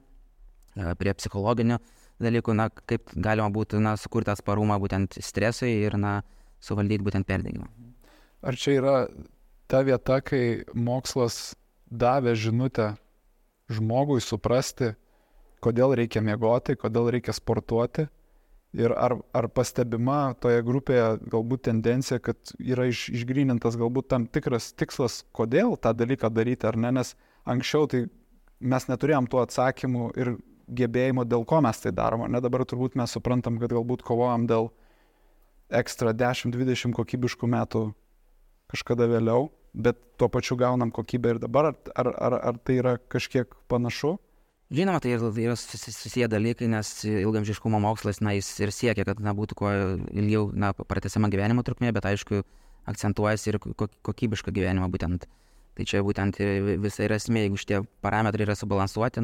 prie psichologinių dalykų, kaip galima būtų sukurti atsparumą būtent stresui ir suvaldyti būtent perdegimą. Ar čia yra ta vieta, kai mokslas davė žinutę žmogui suprasti, kodėl reikia miegoti, kodėl reikia sportuoti? Ir ar pastebima toje grupėje galbūt tendencija, kad yra išgrynintas galbūt tam tikras tikslas, kodėl tą dalyką daryti ar ne, nes anksčiau tai mes neturėjom tų atsakymų ir gebėjimo, dėl ko mes tai darom. Ne, dabar turbūt mes suprantam, kad galbūt kovojam dėl ekstra 10-20 kokybiškų metų kažkada vėliau, bet tuo pačiu gaunam kokybę ir dabar. Ar tai yra kažkiek panašu? Žinoma, tai yra susiję dalykai, nes ilgaamžiškumo mokslas, jis ir siekia, kad būtų kuo ilgiau pratęsiama gyvenimo trukmė, bet aišku, akcentuojasi ir kokybišką gyvenimą būtent. Tai čia būtent visa yra esmė, jeigu šitie parametrai yra subalansuoti,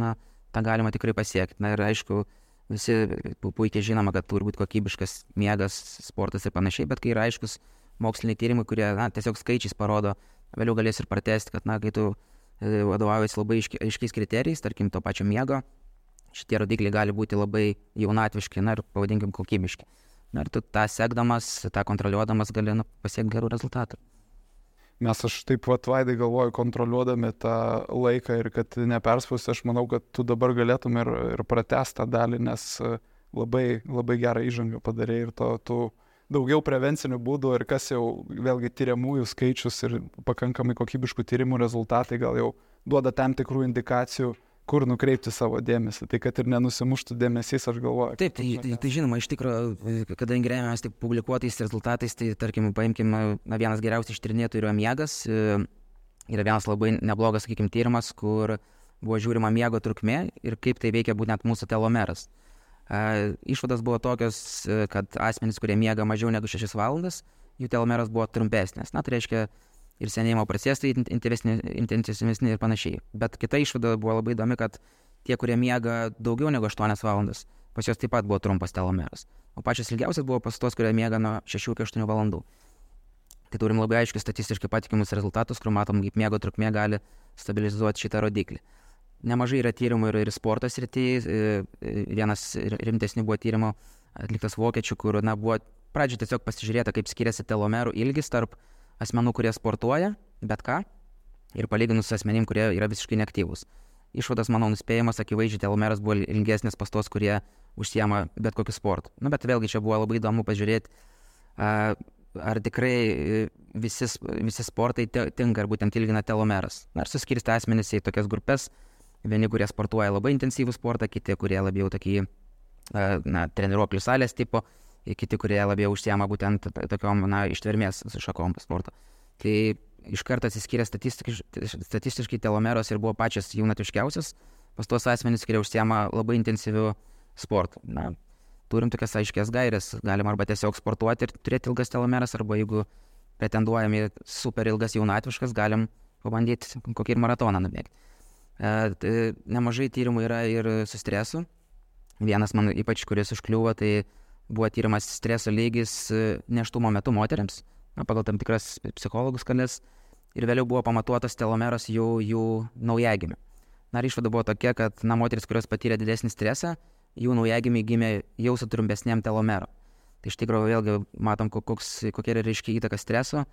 tą galima tikrai pasiekti. Ir aišku, visi puikiai žinoma, kad turi būti kokybiškas miegas, sportas ir panašiai, bet kai yra aiškus moksliniai tyrimai, kurie tiesiog skaičiais parodo, vėliau galės ir pratęsti, kad kai tu vadovaujasi labai aiškiais kriterijais, tarkim, to pačio miego, šitie rodikliai gali būti labai jaunatviški, ir pavadinkim kokybiški. Ir tu tą sekdamas, tą kontroliuodamas gali pasiekti gerų rezultatų. Mes aš taip Vaidai galvoju, kontroliuodami tą laiką ir kad neperspausti, aš manau, kad tu dabar galėtum ir pratęsti tą dalį, nes labai, labai gerą įžangą padarė ir tų daugiau prevencinių būdų ir kas jau vėlgi tyriamųjų skaičius ir pakankamai kokybiškų tyrimų rezultatai gal jau duoda tam tikrų indikacijų, kur nukreipti savo dėmesį. Tai kad ir nenusimuštų dėmesys, aš galvoju. Taip, tai žinoma, iš tikrųjų, kadangi remiamės tik publikuotais rezultatais, tai tarkim, paimkime, vienas geriausiai ištyrinėtų yra miegas. Yra vienas labai neblogas, sakykime, tyrimas, kur buvo žiūrima miego trukmė ir kaip tai veikia būtent mūsų telomeras. Išvados buvo tokios, kad asmenys, kurie miega mažiau negu 6 valandas, jų telomeras buvo trumpesnės. Tai reiškia ir senėjimo procesai intensyvesni ir panašiai. Bet kita išvada buvo labai įdomi, kad tie, kurie miega daugiau negu 8 valandas, pas juos taip pat buvo trumpas telomeras. O pačios ilgiausias buvo pas tos, kurie miega nuo 6 iki 8 valandų. Tai turim labai aiškius statistiškai patikimus rezultatus, kur matom, kaip miego trukmė gali stabilizuoti šitą rodiklį. Nemažai yra tyrimų ir sporto srityje. Vienas rimtesnių buvo tyrimo atliktas vokiečių, kur buvo pradžioje tiesiog pasižiūrėta, kaip skiriasi telomerų ilgis tarp asmenų, kurie sportuoja, bet ką, ir palyginus su asmenim, kurie yra visiškai neaktyvūs. Išvadas, manau, nuspėjimas, akivaizdžiai telomeras buvo ilgesnis pas tos, kurie užsiema bet kokiu sportu. Bet vėlgi čia buvo labai įdomu pažiūrėti, ar tikrai visi sportai tinka, ar būtent ilgina telomeras. Ar suskirsti asmenys į tokias grupės. Vieni, kurie sportuoja labai intensyvų sportą, kiti, kurie labiau tokį treniruoklių salės tipo, kiti, kurie labiau užsiema būtent tokiom ištvermės šakom sporto. Tai iš karto atsiskyrė statistiškai telomeros ir buvo pačias jaunatviškiausias pas tuos asmenys, kurie užsiema labai intensyviu sportu. Turim tokias aiškias gairės, galim arba tiesiog sportuoti ir turėti ilgas telomeras, arba jeigu pretenduojam į super ilgas jaunatviškas, galim pabandyti kokį ir maratoną nubėgti. Nemažai tyrimų yra ir su stresu. Vienas man ypač, kuris užkliuvo, tai buvo tyrimas streso lygis nėštumo metu moteriams, pagal tam tikras psichologų skales, ir vėliau buvo pamatuotas telomeras jų naujagimių. Išvada buvo tokia, kad moteris, kurios patyrė didesnį stresą, jų naujagimiai gimė jau su trumpesnėm telomero. Tai iš tikrųjų vėlgi matom, kokia yra reiškia įtaka streso.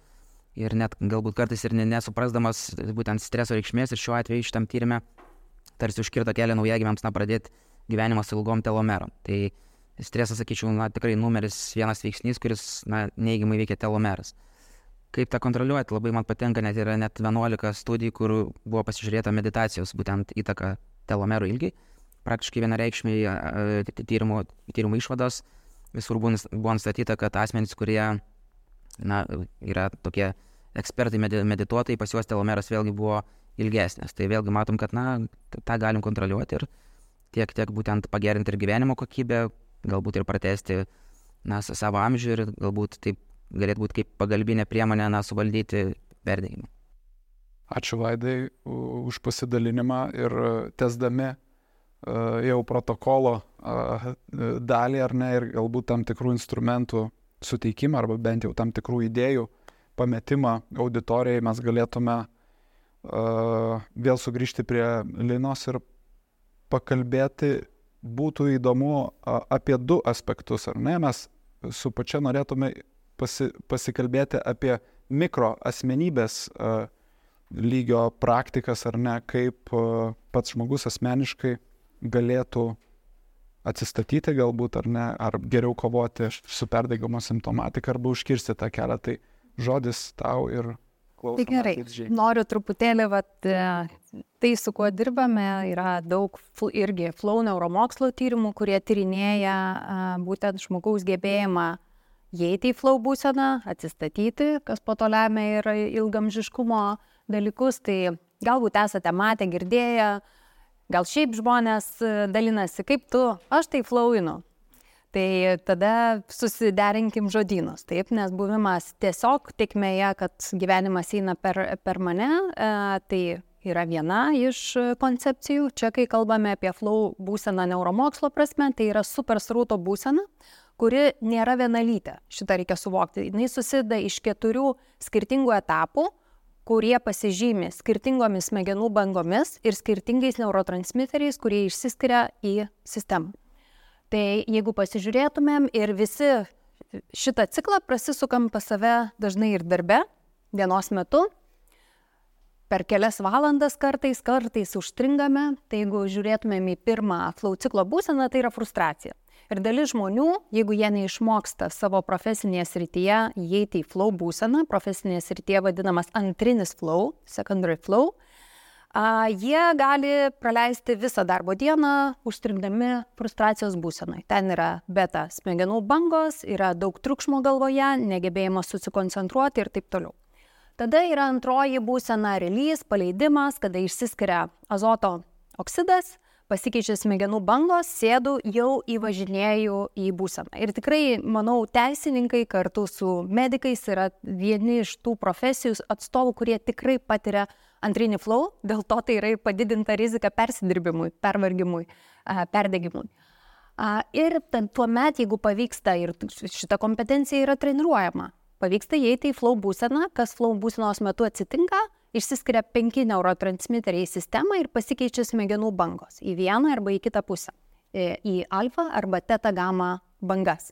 Ir net galbūt kartais ir nesuprasdamas būtent streso reikšmės, ir šiuo atveju šitam tyrime tarsi užkirto kelią naujagimiams pradėti gyvenimą su ilgom telomerom. Tai stresas, sakyčiau, tikrai numeris vienas veiksnys, kuris neigiamai veikia telomeras. Kaip tą kontroliuoti, labai man patinka, net yra net 11 studijų, kur buvo pasižiūrėta meditacijos, būtent įtaka telomerų ilgiai. Praktiškai vienareikšmiai tyrimų išvados visur buvo nustatyta, kad asmenys, kurie yra tokie ekspertai medituotojai, pas juos telomeras vėlgi buvo ilgesnės. Tai vėlgi matom, kad tą galim kontroliuoti ir tiek būtent pagerinti ir gyvenimo kokybę, galbūt ir pratesti savo amžių ir galbūt taip galėtų būti kaip pagalbinė priemonė suvaldyti perdegimą. Ačiū Vaidai už pasidalinimą ir tęsdami jau protokolo dalį ar ne ir galbūt tam tikrų instrumentų suteikimą arba bent jau tam tikrų idėjų pametimą auditorijai mes galėtume vėl sugrįžti prie Linos ir pakalbėti. Būtų įdomu apie 2 aspektus, ar ne? Mes su pačia norėtume pasikalbėti apie mikro asmenybės lygio praktikas, ar ne, kaip pats žmogus asmeniškai galėtų atsistatyti galbūt, ar ne, ar geriau kovoti su perdegimo simptomatika, arba užkirsti tą kelią. Tai žodis tau ir klausom. Tai gerai, noriu truputėlį, tai su kuo dirbame, yra daug irgi flow neuromokslo tyrimų, kurie tyrinėja būtent žmogaus gebėjimą įeiti į flow būseną, atsistatyti, kas po to lemia ir ilgamžiškumo dalykus. Tai galbūt esate matę, girdėję, gal šiaip žmonės dalinasi, kaip tu, aš tai flowinu. Tai tada susiderinkim žodynus, taip, nes buvimas tiesiog tikmėje, kad gyvenimas eina per mane, tai yra viena iš koncepcijų. Čia, kai kalbame apie flow būseną neuromokslo prasme, tai yra super srauto būsena, kuri nėra vienalytė. Šitą reikia suvokti. Jis susideda iš 4 skirtingų etapų, kurie pasižymi skirtingomis smegenų bangomis ir skirtingais neurotransmiteriais, kurie išsiskiria į sistemą. Tai jeigu pasižiūrėtumėm ir visi šitą ciklą prasisukam pas save dažnai ir darbe, dienos metu, per kelias valandas kartais užstringame, tai jeigu žiūrėtumėm į pirmą flow ciklo būseną, tai yra frustracija. Ir dalis žmonių, jeigu jie neišmoksta savo profesinėje srityje įeiti į flow būseną, profesinėje srityje vadinamas antrinis flow, secondary flow, jie gali praleisti visą darbo dieną užstrigdami frustracijos būsenai. Ten yra beta smegenų bangos, yra daug triukšmo galvoje, negebėjimas susikoncentruoti ir taip toliau. Tada yra antroji būsena release, paleidimas, kada išsiskiria azoto oksidas, pasikeičia smegenų bangos, sėdu, jau įvažinėju į būseną. Ir tikrai, manau, teisininkai kartu su medikais yra vieni iš tų profesijų atstovų, kurie tikrai patiria antrinį flow, dėl to tai yra padidinta rizika persidirbimui, pervargimui, perdegimui. Ir tuomet, jeigu pavyksta, ir šita kompetencija yra treniruojama, pavyksta įeiti į flow būseną, kas flow būsenos metu atsitinka, išsiskiria 5 neurotransmiteriai į sistemą ir pasikeičia smegenų bangos į vieną arba į kitą pusę, į alfa arba teta gamma bangas.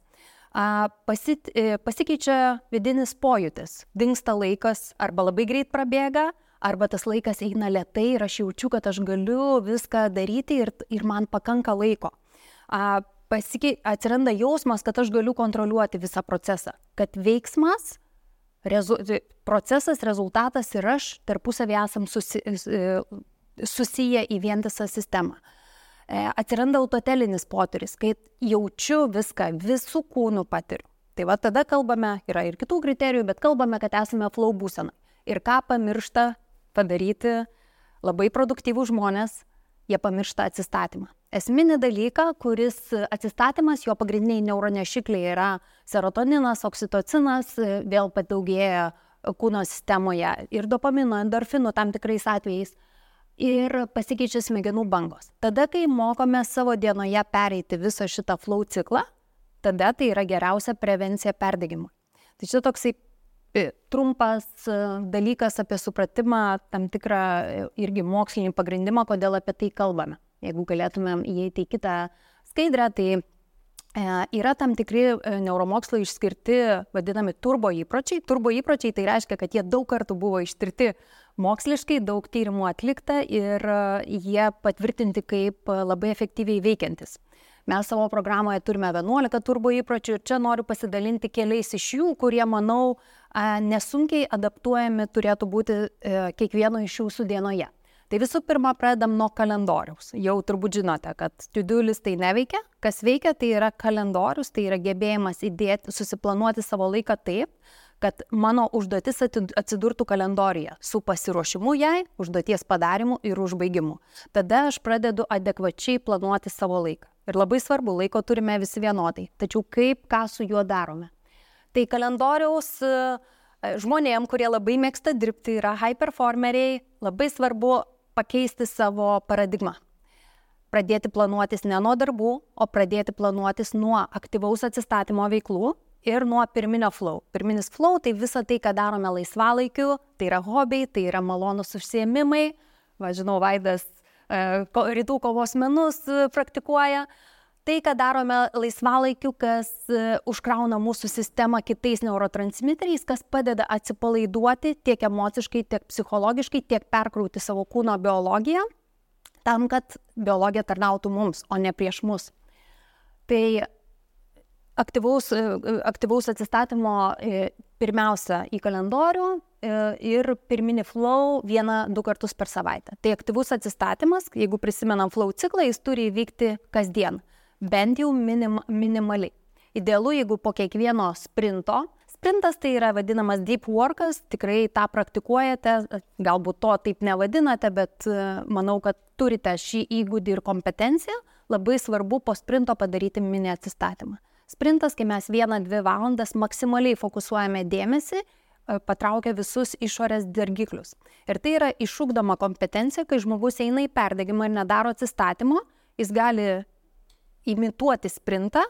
Pasikeičia vidinis pojūtis, dingsta laikas, arba labai greit prabėga, arba tas laikas eina lėtai ir aš jaučiu, kad aš galiu viską daryti ir man pakanka laiko. Atsiranda jausmas, kad aš galiu kontroliuoti visą procesą, kad veiksmas, procesas, rezultatas ir aš tarpusavį esam susiję į vientisą sistemą. Atsiranda autotelinis potyris, kai jaučiu viską, visų kūnų patiriu. Tai va tada kalbame, yra ir kitų kriterijų, bet kalbame, kad esame flow būsenai. Ir ką pamiršta padaryti labai produktyvūs žmonės, jie pamiršta atsistatymą. Esminį dalyką, kuris atsistatymas, jo pagrindiniai neuronešikliai yra serotoninas, oksitocinas, vėl padaugėja kūno sistemoje ir dopamino, endorfinų tam tikrais atvejais ir pasikeičia smegenų bangos. Tada, kai mokome savo dienoje pereiti visą šitą flow ciklą, tada tai yra geriausia prevencija perdegimui. Tai čia toksai trumpas dalykas apie supratimą, tam tikrą irgi mokslinį pagrindimą, kodėl apie tai kalbame. Jeigu galėtumėm įeiti į kitą skaidrę, tai yra tam tikri neuromokslo išskirti vadinami turbo įpročiai. Turbo įpročiai tai reiškia, kad jie daug kartų buvo ištirti moksliškai, daug tyrimų atlikta ir jie patvirtinti kaip labai efektyviai veikiantis. Mes savo programoje turime 11 turbo įpročių ir čia noriu pasidalinti keliais iš jų, kurie, manau, nesunkiai adaptuojami turėtų būti kiekvieno iš jūsų dienoje. Tai visų pirma, pradedam nuo kalendoriaus. Jau turbūt žinote, kad to-do listai neveikia. Kas veikia, tai yra kalendorius, tai yra gebėjimas susiplanuoti savo laiką taip, kad mano užduotis atsidurtų kalendoriuje su pasiruošimu jai, užduoties padarimu ir užbaigimu. Tada aš pradedu adekvačiai planuoti savo laiką. Ir labai svarbu, laiko turime visi vienodai. Tačiau ką su juo darome? Tai kalendoriaus žmonėm, kurie labai mėgsta dirbti, yra high performeriai, labai svarbu pakeisti savo paradigmą. Pradėti planuotis ne nuo darbų, o pradėti planuotis nuo aktyvaus atsistatymo veiklų ir nuo pirminio flow. Pirminis flow tai visa tai, ką darome laisvalaikiu, tai yra hobiai, tai yra malonus užsiėmimai. Žinau, Vaidas rytų kovos menus praktikuoja. Tai, ką darome laisvalaikiu, kas užkrauna mūsų sistemą kitais neurotransmiteriais, kas padeda atsipalaiduoti tiek emociškai, tiek psichologiškai, tiek perkrauti savo kūno biologiją, tam, kad biologija tarnautų mums, o ne prieš mus. Tai aktyvaus atsistatymo pirmiausia į kalendorių ir pirminį flow 1-2 kartus per savaitę. Tai aktyvus atsistatymas, jeigu prisimenam flow ciklą, jis turi įvykti kasdien. Bent jau minimaliai. Idealu, jeigu po kiekvieno sprinto. Sprintas tai yra vadinamas deep workas, tikrai tą praktikuojate, galbūt to taip nevadinate, bet manau, kad turite šį įgūdį ir kompetenciją. Labai svarbu po sprinto padaryti mini atsistatymą. Sprintas, kai mes 1-2 valandas maksimaliai fokusuojame dėmesį, patraukia visus išorės dirgiklius. Ir tai yra išugdoma kompetencija, kai žmogus eina į perdegimą ir nedaro atsistatymo, jis gali imituoti sprintą,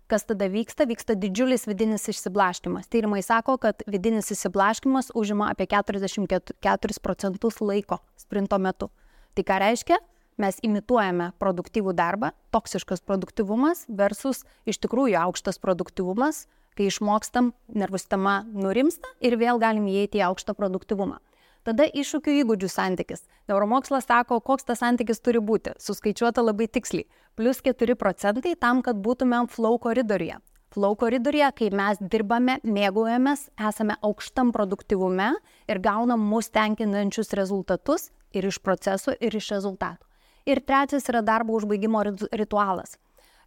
kas tada vyksta didžiulis vidinis išsiblaškymas. Tyrimai sako, kad vidinis išsiblaškymas užima apie 44% laiko sprinto metu. Tai ką reiškia? Mes imituojame produktyvų darbą, toksiškas produktyvumas versus iš tikrųjų aukštas produktyvumas, kai išmokstam, nervų sistema nurimsta ir vėl galim įeiti į aukštą produktyvumą. Tada iššūkių įgūdžių santykis. Neuromokslas sako, koks tas santykis turi būti, suskaičiuota labai tiksliai. +4% tam, kad būtumėm flow koridoriuje. Flow koridoriuje, kai mes dirbame, mėgaujamės, esame aukštam produktyvume ir gaunam mus tenkinančius rezultatus ir iš procesų, ir iš rezultatų. Ir trečias yra darbo užbaigimo ritualas.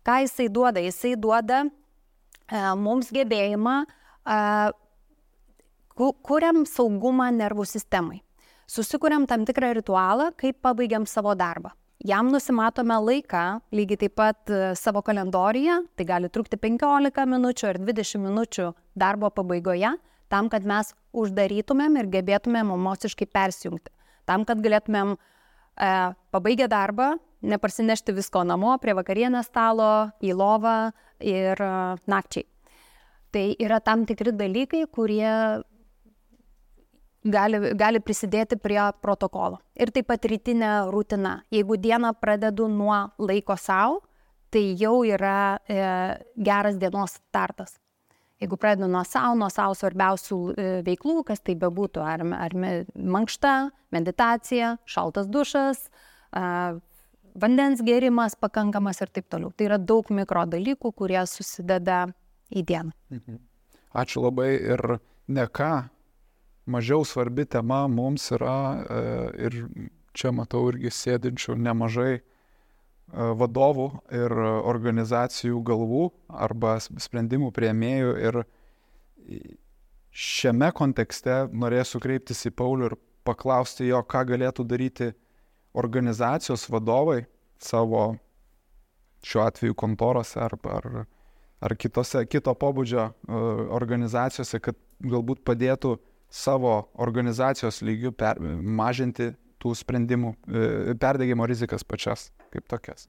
Ką jisai duoda? Jisai duoda mums gebėjimą kuriam saugumą nervų sistemai. Susikuriam tam tikrą ritualą, kaip pabaigiam savo darbą. Jam nusimatome laiką, lygiai taip pat savo kalendoriuje, tai gali trukti 15 minučių ar 20 minučių darbo pabaigoje, tam, kad mes uždarytumėm ir gebėtumėm emociškai persijungti. Tam, kad galėtumėm pabaigę darbą, neparsinešti visko namo, prie vakarienės stalo, į lovą ir nakčiai. Tai yra tam tikri dalykai, kurie gali prisidėti prie protokolo. Ir taip pat rytinė rutina. Jeigu dieną pradedu nuo laiko sau, tai jau yra geras dienos startas. Jeigu pradedu nuo sau svarbiausių veiklų, kas tai bebūtų, ar mankšta, meditacija, šaltas dušas, vandens gėrimas pakankamas ir taip toliau. Tai yra daug mikro dalykų, kurie susideda į dieną. Ačiū labai ir ne ką. Mažiau svarbi tema mums yra ir čia matau irgi sėdinčių nemažai vadovų ir organizacijų galvų arba sprendimų priėmėjų ir šiame kontekste norėsiu kreiptis į Paulių ir paklausti jo, ką galėtų daryti organizacijos vadovai savo šiuo atveju kontorose ar kito pobūdžio organizacijose, kad galbūt padėtų savo organizacijos lygių mažinti tų sprendimų, perdegimo rizikas pačias kaip tokias.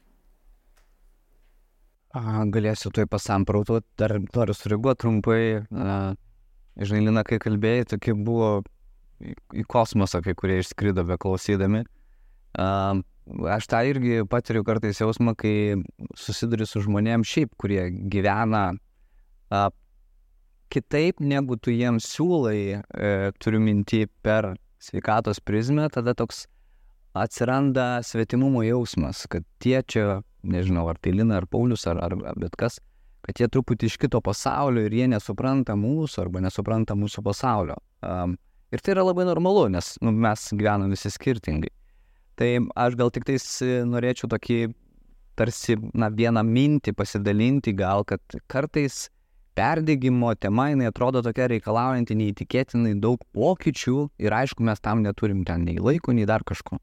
Galėsiu tuoj pasamprautuoti, dar noriu sureaguoti trumpai. Žinai, Lina, kai kalbėjai, tokie buvo į kosmosą, kai kurie išskrido beklausydami. Aš tą irgi patiriu kartais jausmą, kai susiduriu su žmonėms šiaip, kurie gyvena kitaip, negu tu jiems siūlai, turiu minty per sveikatos prizmę, tada toks atsiranda svetimumo jausmas, kad tie čia, nežinau, ar tai Lina, ar Paulius, ar bet kas, kad jie truputį iš kito pasaulio ir jie nesupranta mūsų arba nesupranta mūsų pasaulio. Ir tai yra labai normalu, nes mes gyvenam visi skirtingai. Tai aš gal tik tais norėčiau tokį tarsi vieną mintį pasidalinti gal, kad kartais perdegimo tema, jinai atrodo tokia reikalaujanti neįtikėtinai daug pokyčių ir aišku, mes tam neturim ten nei laiko, nei dar kažko.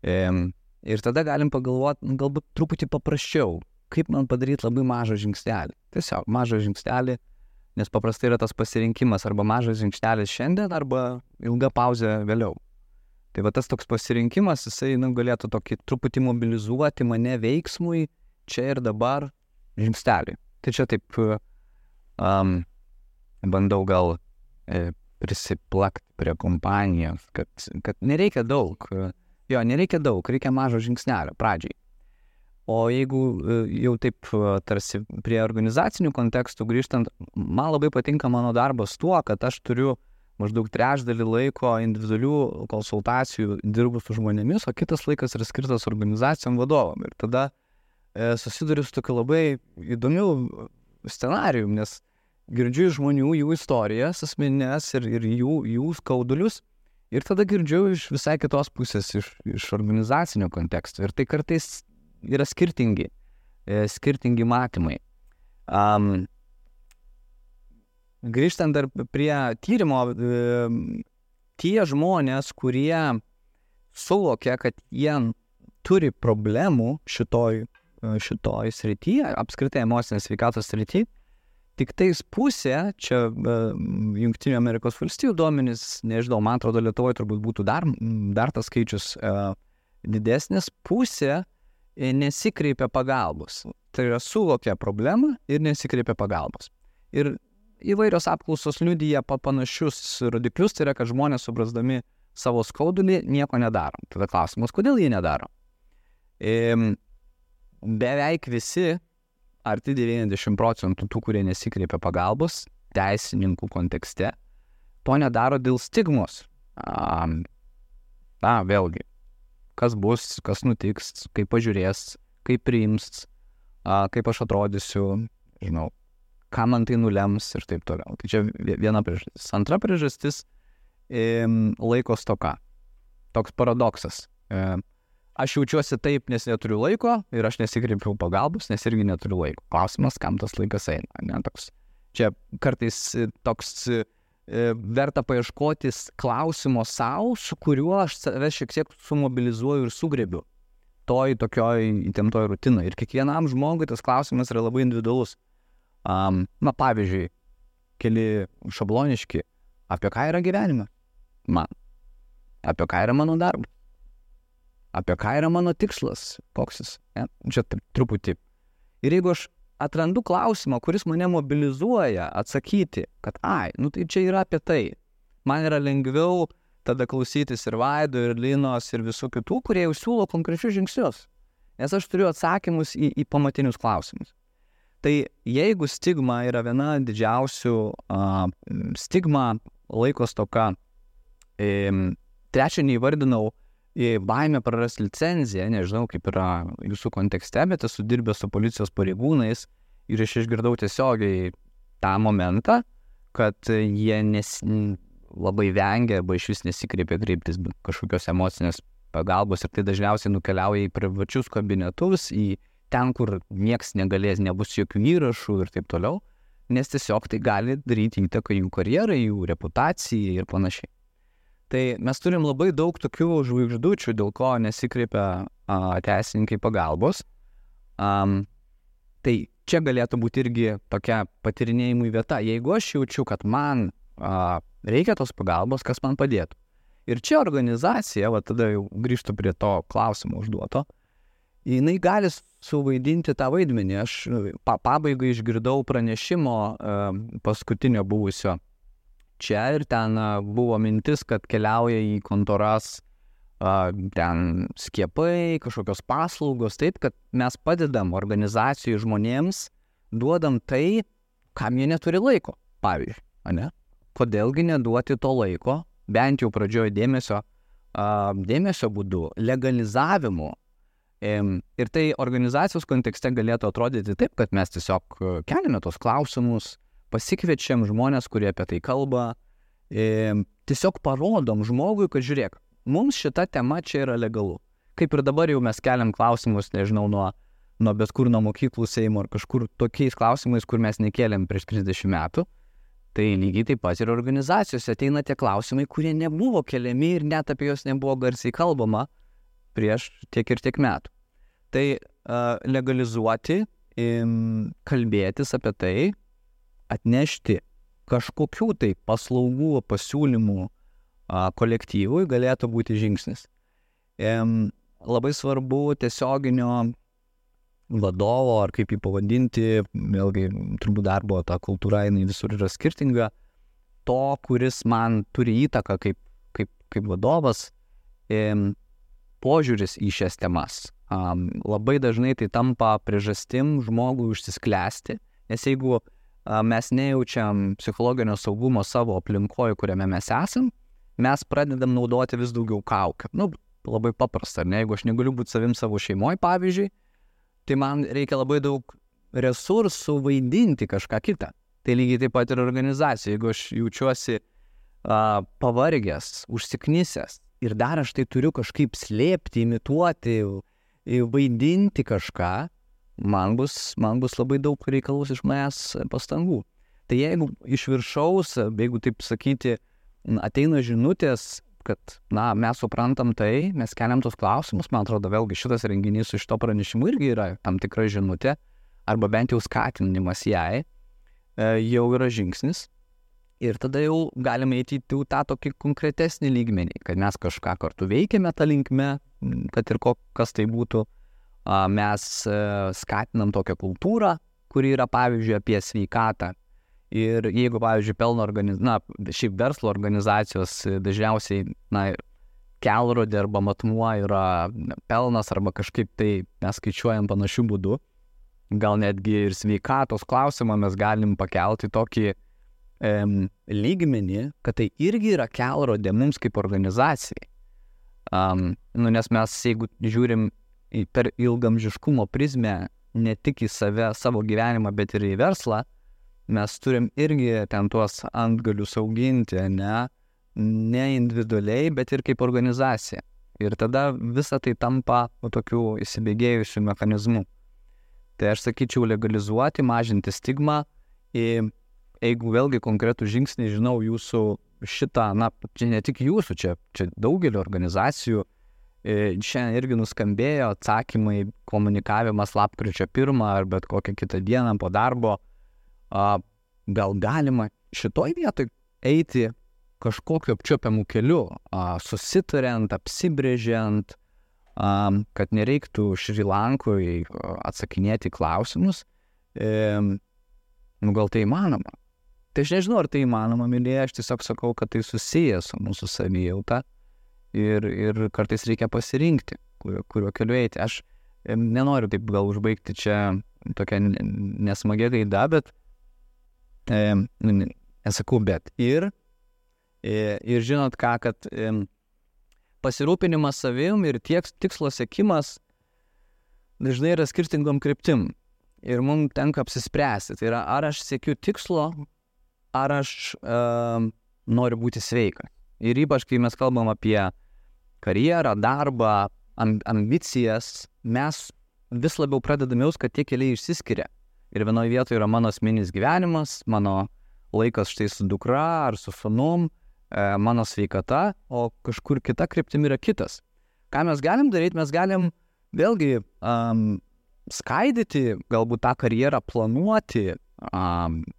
Ir tada galim pagalvoti, galbūt truputį paprasčiau, kaip man padaryti labai mažą žingsnelį. Tiesiog mažą žingsnelį, nes paprastai yra tas pasirinkimas arba mažas žingsnelis šiandien, arba ilga pauzė vėliau. Tai va tas toks pasirinkimas, jisai galėtų tokį truputį mobilizuoti mane veiksmui čia ir dabar žingsnelį. Tai čia taip bandau gal prisiplakti prie kompanijos, kad nereikia daug. Jo, nereikia daug, reikia mažo žingsnelio pradžiai. O jeigu jau taip tarsi prie organizacinių kontekstų grįžtant, man labai patinka mano darbas tuo, kad aš turiu maždaug 3/3 laiko individualių konsultacijų dirbu su žmonėmis, o kitas laikas yra skirtas organizacijom vadovam. Ir tada susiduriu su tokiu labai įdomiu scenarijum, nes girdžiu žmonių jų istorijas asmeninės ir jų skaudulius. Ir tada girdžiu iš visai kitos pusės, iš organizacinio konteksto. Ir tai kartais yra skirtingi matymai. Grįžtant dar prie tyrimo, tie žmonės, kurie suvokia, kad jie turi problemų šitoj srityje, apskritai emocinės sveikatos srityje, tik tais pusė, čia Jungtinių Amerikos valstijų duomenys, nežinau, man atrodo, Lietuvoje turbūt būtų dar tas skaičius didesnis, pusė nesikreipia pagalbos. Tai yra suvokia problemą ir nesikreipia pagalbos. Ir įvairios apklausos liudija panašius rodiklius, tai yra, kad žmonės suprasdami savo skaudulį nieko nedaro. Tada klausimas, kodėl jie nedaro? Beveik visi, arti 90% tų, kurie nesikreipia pagalbos, teisininkų kontekste, to nedaro dėl stigmos. Vėlgi, kas bus, kas nutiks, kaip pažiūrės, kaip priims, kaip aš atrodysiu, žinau, ką man tai nulems ir taip toliau. Tai čia viena priežastis. Antra priežastis – laiko stoka. Toks paradoksas. Aš jaučiuosi taip, nes neturiu laiko ir aš nesikreipiau pagalbos, nes irgi neturiu laiko. Klausimas, kam tas laikas eina. Ne? Čia kartais toks verta paieškoti klausimo savo, su kuriuo aš save šiek tiek sumobilizuoju ir sugrebiu tokioj įtemptoj rutinai. Ir kiekvienam žmogui tas klausimas yra labai individualus. Pavyzdžiui, keli šabloniški, apie ką yra gyvenime man, apie ką yra mano darbas, apie ką yra mano tikslas, koks jis, čia truputį. Ir jeigu aš atrandu klausimą, kuris mane mobilizuoja atsakyti, kad tai čia yra apie tai, man yra lengviau tada klausytis ir Vaido, ir Linos, ir visų kitų, kurie jau siūlo konkrečius žingsnius, nes aš turiu atsakymus į pamatinius klausimus. Tai jeigu stigma yra viena didžiausių stigma, laiko stoka, trečią neįvardinau, baimę prarasti licenciją, nežinau kaip yra jūsų kontekste, bet esu dirbęs su policijos pareigūnais ir aš išgirdau tiesiogiai tą momentą, kad jie labai vengia arba iš vis nesikreipia kreiptis kažkokios emocinės pagalbos ir tai dažniausiai nukeliauja į privačius kabinetus, į ten, kur nieks negalės, nebus jokių įrašų ir taip toliau, nes tiesiog tai gali daryti įtaką jų karjerai, jų reputacijai ir panašiai. Tai mes turim labai daug tokių žvaigždučių, dėl ko nesikreipia teisininkai pagalbos. Tai čia galėtų būti irgi tokia patyrinėjimų vieta. Jeigu aš jaučiu, kad man reikia tos pagalbos, kas man padėtų. Ir čia organizacija, tada jau grįžtu prie to klausimo užduoto, jinai gali suvaidinti tą vaidmenį. Aš pabaigai išgirdau pranešimo paskutinio buvusio čia ir ten buvo mintis, kad keliauja į kontoras ten skiepai, kažkokios paslaugos, taip, kad mes padedam organizacijų žmonėms, duodam tai, kam jie neturi laiko, pavyzdžiui, ne? Kodėlgi neduoti to laiko, bent jau pradžioje dėmesio dėmesio būdu, legalizavimu. Ir tai organizacijos kontekste galėtų atrodyti taip, kad mes tiesiog keliame tos klausimus, pasikviečiam žmonės, kurie apie tai kalba, tiesiog parodom žmogui, kad žiūrėk, mums šita tema čia yra legalu. Kaip ir dabar jau mes keliam klausimus, nežinau, nuo bet kur, nuo mokyklų Seimo ar kažkur tokiais klausimais, kur mes nekėlėm prieš 30 metų, tai lygiai taip pat ir organizacijose ateina tie klausimai, kurie nebuvo keliami ir net apie juos nebuvo garsiai kalbama prieš tiek ir tiek metų. Tai legalizuoti, kalbėtis apie tai, atnešti kažkokių tai paslaugų, pasiūlymų kolektyvui galėtų būti žingsnis. Labai svarbu tiesioginio vadovo, ar kaip jį pavadinti, vėlgi turbūt darbo ta kultūra, jinai visur yra skirtinga, to, kuris man turi įtaką kaip vadovas, požiūris į šias temas. Labai dažnai tai tampa priežastim žmogui užsisklęsti, nes jeigu mes nejaučiam psichologinio saugumo savo aplinkoje, kuriame mes esam, mes pradedam naudoti vis daugiau kaukių. Labai paprasta, ne? Jeigu aš negaliu būti savim savo šeimoje, pavyzdžiui, tai man reikia labai daug resursų vaidinti kažką kitą. Tai lygiai taip pat ir organizacija. Jeigu aš jaučiuosi pavargęs, užsiknisęs ir dar aš tai turiu kažkaip slėpti, imituoti, vaidinti kažką, man bus labai daug reikalaus iš manęs pastangų. Tai jeigu iš viršaus, jeigu taip sakyti, ateina žinutės, kad mes suprantam tai, mes keliam tos klausimus, man atrodo, vėlgi šitas renginys su šito pranešimu irgi yra tam tikra žinutė, arba bent jau skatinimas jai, jau yra žingsnis. Ir tada jau galime eiti į tą tokį konkretesnį lygmenį, kad mes kažką kartu veikiame tą linkme, kad ir kas tai būtų. Mes skatinam tokią kultūrą, kuri yra, pavyzdžiui, apie sveikatą. Ir jeigu, pavyzdžiui, šiaip verslo organizacijos dažniausiai, kelrodė arba matmuo yra pelnas arba kažkaip tai mes skaičiuojam panašių būdų, gal netgi ir sveikatos klausimą mes galim pakelti tokį lygmenį, kad tai irgi yra kelrodė mums kaip organizacijai. Nes mes, jeigu žiūrim per ilgamžiškumo prizmę ne tik į save, savo gyvenimą, bet ir į verslą, mes turim irgi ten tuos antgalius auginti, ne individualiai, bet ir kaip organizacija. Ir tada visa tai tampa tokiu įsibėgėjusiu mechanizmu. Tai aš sakyčiau legalizuoti, mažinti stigmą. Jeigu vėlgi konkretų žingsnį, žinau, jūsų šitą, čia ne tik jūsų, čia daugelio organizacijų, šiandien irgi nuskambėjo atsakymai, komunikavimas lapkričio 1 ar bet kokią kitą dieną po darbo. Gal galima šitoj vietoj eiti kažkokiu apčiuopiamu keliu, susitariant, apsibrėžiant, kad nereiktų Šri Lankoje atsakinėti klausimus. Gal tai įmanoma? Tai aš nežinau, ar tai įmanoma, mylėje, aš tiesiog sakau, kad tai susijęs su mūsų savijauta ir kartais reikia pasirinkti, kuriuo keliu eiti. Aš nenoriu taip gal užbaigti čia tokią nesmagią gaidą, bet nesakau, bet ir žinot ką, kad pasirūpinimas savim ir tikslo siekimas dažnai yra skirtingom kryptim. Ir mums tenka apsispręsti. Tai yra, ar aš siekiu tikslo, ar aš noriu būti sveikas. Ir ypač, kai mes kalbam apie karjerą, darbą, ambicijas, mes vis labiau pradedame jaust, kad tie keliai išsiskiria. Ir vienoje vietoje yra mano asmeninis gyvenimas, mano laikas štai su dukra ar su sūnum, mano sveikata, o kažkur kita kryptimi yra kitas. Ką mes galim daryti? Mes galim vėlgi skaidyti, galbūt tą karjerą planuoti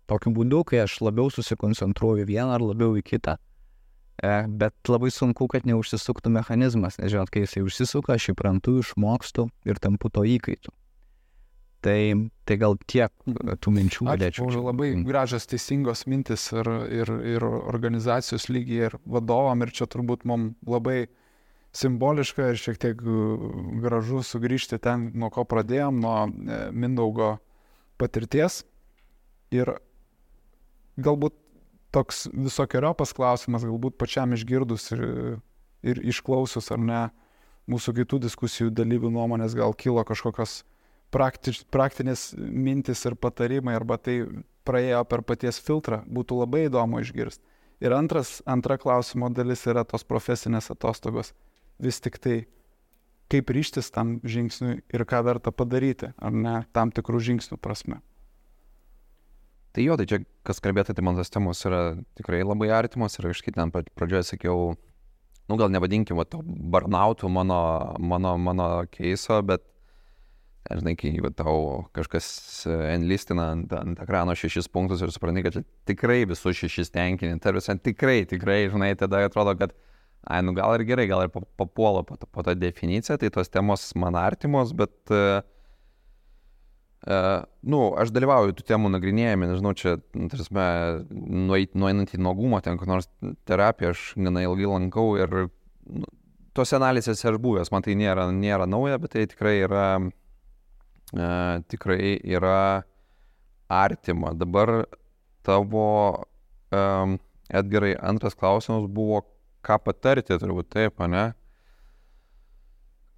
tokiu būdu, kai aš labiau susikoncentruoju vieną ar labiau į kitą. Bet labai sunku, kad neužsisuktų mechanizmas, nes žinot, kai jisai užsisuka, aš įprantu, išmokstu ir tampu to įkaitu. Tai gal tiek tų minčių galėčiau. Ačiū, labai gražios teisingos mintis ir organizacijos lygiai ir vadovam, ir čia turbūt mums labai simboliška ir šiek tiek gražu sugrįžti ten, nuo ko pradėjom, nuo Mindaugo patirties. Ir galbūt toks visokiojopas klausimas, galbūt pačiam išgirdus ir ir išklausius ar ne mūsų kitų diskusijų dalyvių nuomonės, gal kilo kažkokios praktinės mintis ir patarimai, arba tai praėjo per paties filtrą, būtų labai įdomu išgirsti. Ir antra klausimo dalis yra tos profesinės atostogos. Vis tik tai, kaip ryžtis tam žingsniui ir ką verta padaryti, ar ne, tam tikrų žingsnių prasme. Tai jo, tai čia, kas kalbėtų, tai man tas temos yra tikrai labai artimos ir aš ten pradžioje sakiau, gal nevadinkim to burnoutų mano keiso, bet, žinai, kai tau kažkas enlistina ant ekrano 6 punktus ir supranti, kad čia tikrai visus 6 tenkini, tikrai, žinai, tada atrodo, kad gal ir gerai, gal ir papuolo po tą definiciją, tai tos temos man artimos, bet aš dalyvauju tų temų nagrinėjami, nežinau, čia, nueinant į nuogumą, ten kur nors terapiją aš gana ilgai lankau ir tos analizės aš buvęs, man tai nėra nauja, bet tai tikrai yra artima. Dabar tavo, Edgarai, antras klausimas buvo, ką patarti, turbūt taip, ne?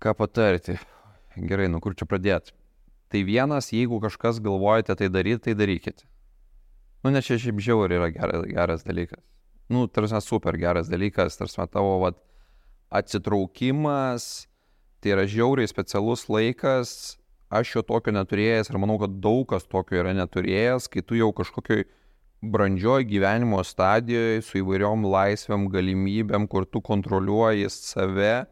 Ką patarti? Gerai, kur čia pradėti? Tai vienas, jeigu kažkas galvojate tai darykite. Nes čia šiaip žiauriai yra geras dalykas. Super geras dalykas, tavo atsitraukimas, tai yra žiauriai specialus laikas, aš jo tokio neturėjęs ir manau, kad daug kas tokio yra neturėjęs, kai tu jau kažkokioj brandžioj gyvenimo stadijoje su įvairiom laisvėm, galimybėm, kur tu kontroliuoji save,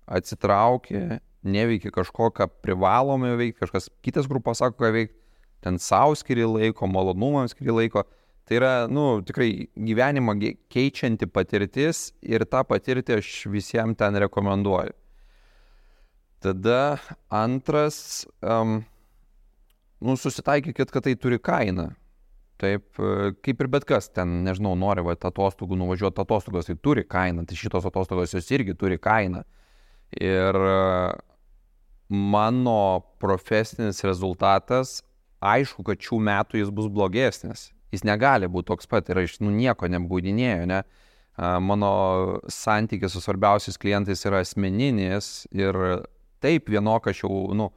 atsitrauki, neveikia kažko, ką privalome veikti, kažkas kitas grupas sako, ką veikti, ten savo skiri laiko, malonumams skiri laiko. Tai yra, tikrai gyvenimą keičianti patirtis ir tą patirtį aš visiems ten rekomenduoju. Tada antras, susitaikykit, kad tai turi kainą. Taip, kaip ir bet kas, ten, nežinau, nori atostogų nuvažiuoti atostogos, tai turi kainą, tai šitos atostogos jos irgi turi kainą. Ir mano profesinis rezultatas, aišku, kad šių metų jis bus blogesnis. Jis negali būti toks pat ir aš nieko nebūdinėjau, ne? Mano santykis su svarbiausiais klientais yra asmeninis ir taip vienok aš jau,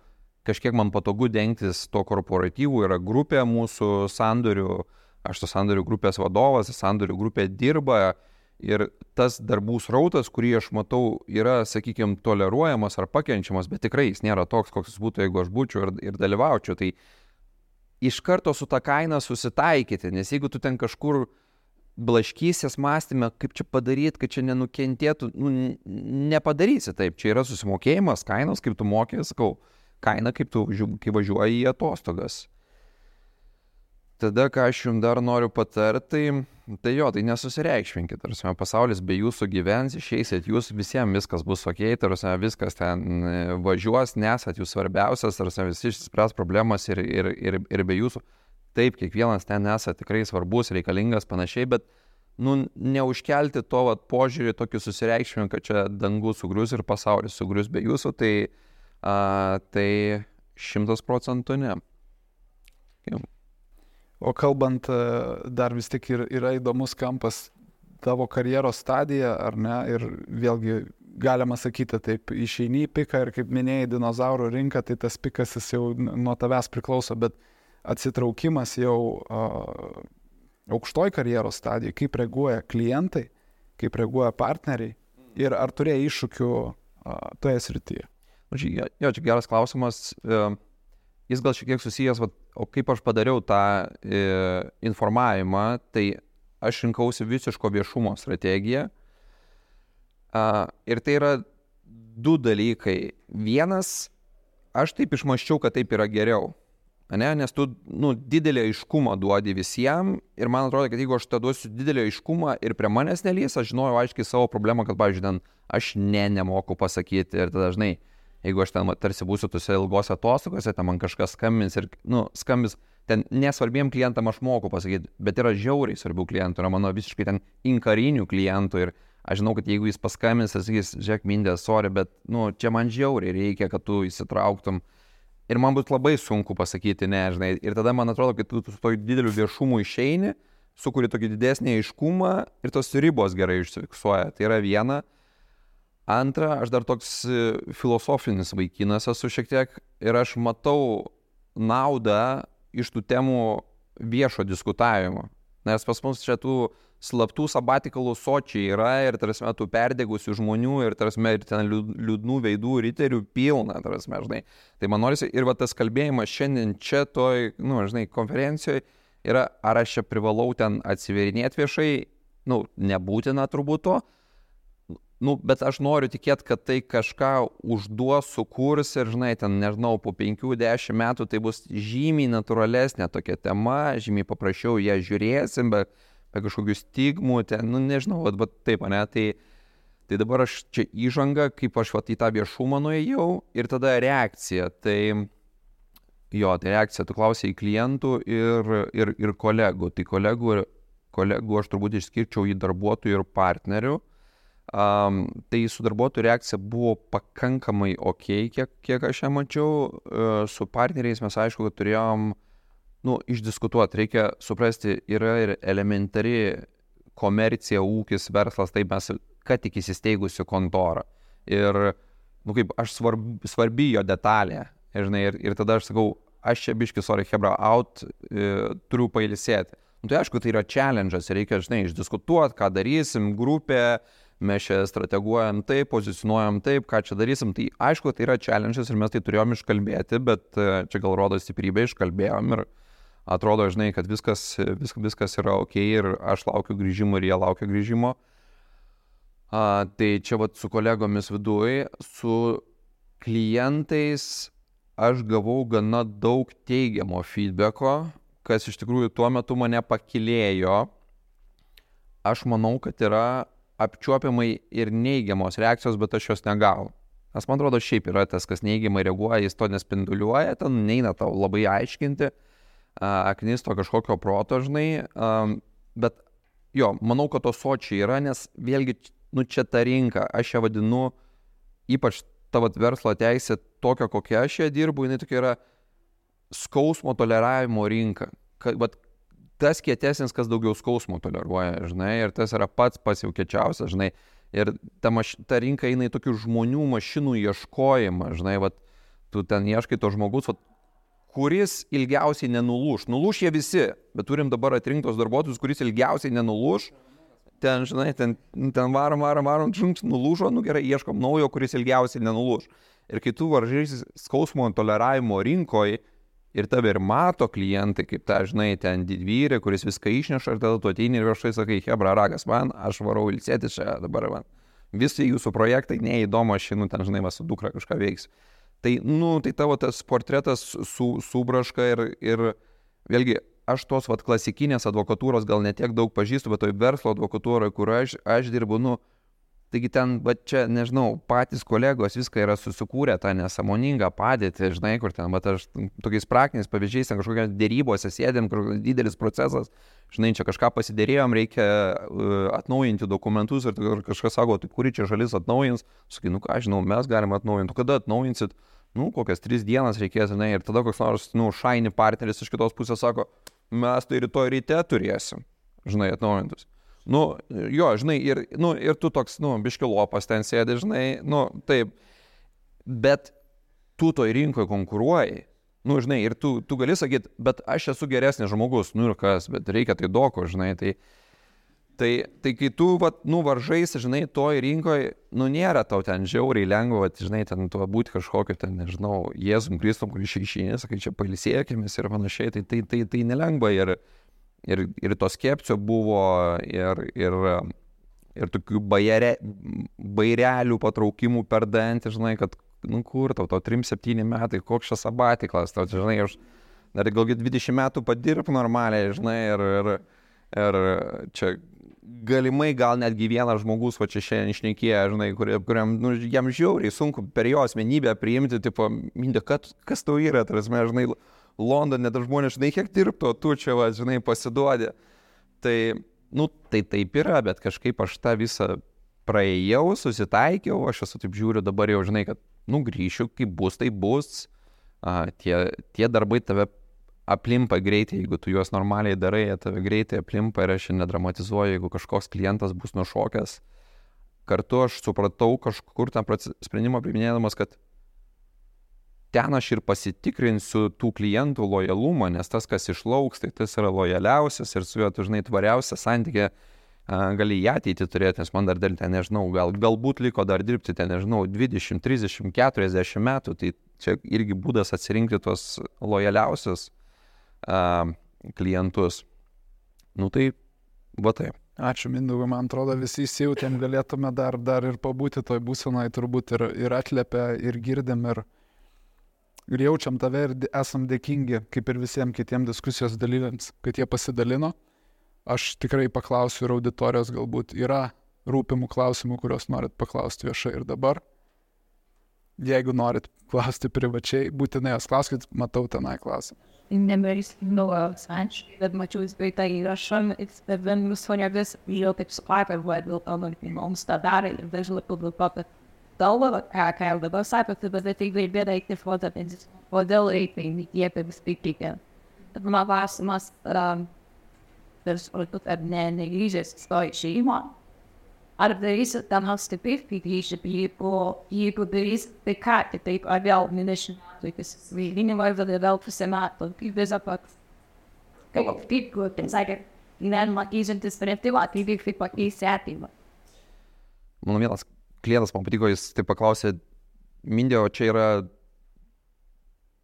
kažkiek man patogu dengtis to korporatyvų, yra grupė mūsų sandorių, aš to sandorių grupės vadovas, sandorių grupė dirba ir tas darbų srautas, kurį aš matau, yra, sakykime, toleruojamas ar pakenčiamas, bet tikrai jis nėra toks, koks jis būtų, jeigu aš būčiau ir dalyvaučiau. Tai iš karto su tą kainą susitaikyti, nes jeigu tu ten kažkur blaškysies mąstyme, kaip čia padaryti, kad čia nenukentėtų, nepadarysi taip. Čia yra susimokėjimas, kainos, kaip tu mokė, sakau, kaina, kaip tu kai važiuoji į atostogas. Tada, ką aš jums dar noriu patarti, tai nesusireikšminkit. Pasaulis be jūsų gyvens, išeisit jūs, visiems viskas bus ok, viskas ten važiuos, nesat jūs svarbiausias, visi išspręs problemas ir be jūsų. Taip, kiekvienas ten esat tikrai svarbus, reikalingas, panašiai, bet neužkelti to požiūrį tokį susireikšmimą, kad čia dangus sugrius ir pasaulis sugrius be jūsų, tai 100% ne. Jau. O kalbant, dar vis tik yra įdomus kampas tavo karjeros stadija, ar ne? Ir vėlgi galima sakyti taip, išeini į piką ir kaip minėjai, dinozaurų rinka, tai tas pikas jis jau nuo tavęs priklauso, bet atsitraukimas jau aukštoj karjeros stadijai, kaip reaguoja klientai, kaip reaguoja partneriai ir ar turėjo iššūkių toje srityje? Čia geras klausimas. Jis gal šiek tiek susijęs, o kaip aš padariau tą informavimą, tai aš rinkausi visiško viešumo strategiją. Ir tai yra 2 dalykai. Vienas, aš taip išmąsčiau, kad taip yra geriau. Nes tu didelį aiškumą duodi visiems ir man atrodo, kad jeigu aš tą duosiu didelį aiškumą ir prie manęs nelys, aš žinojau aiškiai savo problemą, kad, pavyzdžiui, ten aš nemoku pasakyti ir tada dažnai, jeigu aš ten tarsi būsiu tuose ilgose atostogose, ten man kažkas skambins ir, skambins, ten nesvarbiem klientam aš moku pasakyti, bet yra žiauriai svarbių klientų, yra mano visiškai ten inkarinių klientų ir aš žinau, kad jeigu jis paskambins, jis sakys, žiūrėk, Mindė, sorry, bet, čia man žiauriai reikia, kad tu įsitrauktum. Ir man bus labai sunku pasakyti, ne, žinai. Ir tada man atrodo, kad tu su to dideliu viešumu išeini, sukuri tokį didesnį aiškumą ir tos ribos gerai užsifiksuoja. Tai yra viena. Antra, aš dar toks filosofinis vaikinas esu šiek tiek ir aš matau naudą iš tų temų viešo diskutavimo. Nes pas mus čia tų slaptų sabatikalų sočiai yra ir, tarsi, tų perdegusių žmonių ir, tarsi, ir ten liūdnų veidų riterių pilna, tarsi, žinai. Tai man norisi ir va tas kalbėjimas šiandien čia toj, žinai, konferencijoje yra, ar aš čia privalau ten atsiverinėti viešai, nebūtina turbūt to, bet aš noriu tikėti, kad tai kažką užduos, sukurs ir, žinai, ten, nežinau, po 5-10 metų tai bus žymiai natūralesnė tokia tema, žymiai paprasčiau ją žiūrėsim, be kažkokių stigmų, ten, nežinau, bet taip, ne, tai dabar aš čia įžanga, kaip aš į tą viešumą nuėjau ir tada reakcija, tai reakcija, tu klausai klientų ir kolegų, tai kolegų aš turbūt išskirčiau į darbuotojų ir partnerių. Tai su darbuotojų reakcija buvo pakankamai ok, kiek aš ją mačiau. Su partneriais mes aišku, kad turėjom išdiskutuoti. Reikia suprasti, yra ir elementari komercija, ūkis, verslas, taip mes, kad tik įsisteigusiu kontorą. Ir, kaip aš svarbi jo detalė. Ir tada aš sakau, aš čia biški, sorry, hebra, out, turiu pailsėti. Tai aišku, tai yra challenge'as, reikia, žinai, išdiskutuoti, ką darysim, grupė, mes čia strateguojam taip, pozicionuojam taip, ką čia darysim. Tai aišku, tai yra challenge'as ir mes tai turėjom iškalbėti, bet čia gal rodo stiprybę, iškalbėjom ir atrodo, žinai, kad viskas yra ok ir aš laukiu grįžimo ir jie laukia grįžimo. Tai čia vat su kolegomis viduj, su klientais aš gavau gana daug teigiamo feedbacko, kas iš tikrųjų tuo metu mane pakilėjo. Aš manau, kad yra apčiuopiamai ir neigiamos reakcijos, bet aš jos negavau. Nes man atrodo, šiaip yra tas, kas neigiamai reaguoja, jis to nespinduliuoja, ten neina tau labai aiškinti, aknisto kažkokio proto, žinai, bet jo, manau, kad to sočiai yra, nes vėlgi, čia ta rinka, aš ją vadinu, ypač tavo verslo teisė, tokia, kokia aš ją dirbu, jinai tokia yra skausmo toleravimo rinka. Tas kietesnis, kas daugiau skausmo toleruoja, žinai, ir tas yra pats jau kiečiausias, žinai, ir ta rinka eina į tokių žmonių, mašinų ieškojimą, žinai, tu ten ieškai to žmogus, kuris ilgiausiai nenulūš. Nulūš jie visi, bet turim dabar atrinktos darbuotojus, kuris ilgiausiai nenulūš, ten, žinai, ten varom, nulūžo, gerai, ieškom naujo, kuris ilgiausiai nenulūš. Ir kai tu varžysi skausmo toleravimo rinkoje, ir tave ir mato klientai, kaip ta, žinai, ten didvyrė, kuris viską išneša, ir tada tu ateini ir viešai sakai, hebra, ragas man, aš varau ilsėti čia dabar man. Visi jūsų projektai neįdomu, aš ten, žinai, su dukra kažką veiksiu. Tai, tai tavo tas portretas subraška ir vėlgi, aš tos klasikinės advokatūros gal netiek daug pažįstu, bet toj verslo advokatūroje, kur aš dirbu, taigi ten, čia, nežinau, patys kolegos viską yra susikūrę tą nesąmoningą padėtį, žinai, kur ten, aš tokiais praktiniais pavyzdžiais, ten kažkokios dėrybose sėdėm, kažkoks didelis procesas, žinai, čia kažką pasidėrėjom, reikia atnaujinti dokumentus ir kažkas sako, tai kuri čia šalis atnaujins, sakai, ką žinau, mes galime atnaujinti, kada atnaujinsit, kokias 3 dienas reikės, žinai, ir tada koks nors, šaini partneris iš kitos pusės sako, mes tai rytoj ryte turėsim, žinai, atnaujintus. Jo, žinai, ir tu toks, biški lopas ten sėdi, žinai, taip, bet tu toj rinkoje konkuruoji, žinai, ir tu gali sakyti, bet aš esu geresnis žmogus, ir kas, bet reikia tai doko, žinai, tai kai tu, varžaisi, žinai, toj rinkoje, nėra tau ten žiauriai lengva, žinai, ten tu būti kažkokio, ten, nežinau, Jėzum Kristum, kuris išeini, sakai, čia pailsėkimės ir panašiai, tai nelengva ir to skepsio buvo, ir tokių bairelių patraukimų per dantį, žinai, kad, kur tau 3-7 metai, koks čia sabatiklas, tau, žinai, aš dar gal 20 metų padirb normaliai, žinai, ir čia galimai gal netgi vienas žmogus, čia šiandien išnekėjo, žinai, kuriam, jam žiauriai sunku per jo asmenybę priimti, tipo, mintė, kas tau yra, tarsi, žinai, Londone, dar žmonės, žinai, kiek dirbto, tu čia, žinai, pasiduodi. Tai, tai taip yra, bet kažkaip aš tą visą praėjau, susitaikiau, aš esu taip žiūriu dabar jau, žinai, kad, grįšiu, kaip bus, tai bus. Tie darbai tave aplimpa greitai, jeigu tu juos normaliai darai, jie tave greitai aplimpa ir aš nedramatizuoju, jeigu kažkoks klientas bus nušokęs. kartu aš supratau kažkur tam sprendimą priminėdamas, kad ten aš ir pasitikrinsiu tų klientų lojalumą, nes tas, kas išlauks, tai tas yra lojaliausias ir su juo dažnai tvariausia santykė gali į ateitį turėti, nes man dar dėl ten, nežinau, galbūt liko dar dirbti ten, nežinau, 20, 30, 40 metų, tai čia irgi būdas atsirinkti tuos lojaliausius klientus. Nu tai, va taip. Ačiū, Mindaugai, man atrodo, visi įsijautėm, galėtume dar ir pabūti toj būsenoj, turbūt ir atliepia, ir girdim, ir jaučiam tave, ir esam dėkingi, kaip ir visiems kitiems diskusijos dalyviams, kad jie pasidalino. Aš tikrai paklausiu ir auditorijos, galbūt yra rūpimų klausimų, kuriuos norit paklausti viešai ir dabar. Jeigu norit klausti privačiai, būtinai jas klauskit, matau tenai klausimą. Neberis naujas asmeniškai, bet mačiau įspėtą įrašą, bet vienus fonėvis, jau taip supratau, kad dėl to mums tą darė ir dažnai publikuoja galvą, ką jau dabar sakote, bet tai gaibėda iki fotopensis. Kodėl reikia jie apie vis piktikė? Mano klausimas, ir supratau, kad negrįžęs į savo šeimą, ar darysit ten stipriai, kai grįžti, jeigu darysit, tai ką, taip, ar vėl 20 metų, kai svaiginimą, vėl pusę metų, kaip visą pat, kaip, sakė, gyvenimą keičiantis sprendimą, tai kaip pakeisti ateimą. Mano vienas klientas man patiko, jis taip paklausė, Mindė, o čia yra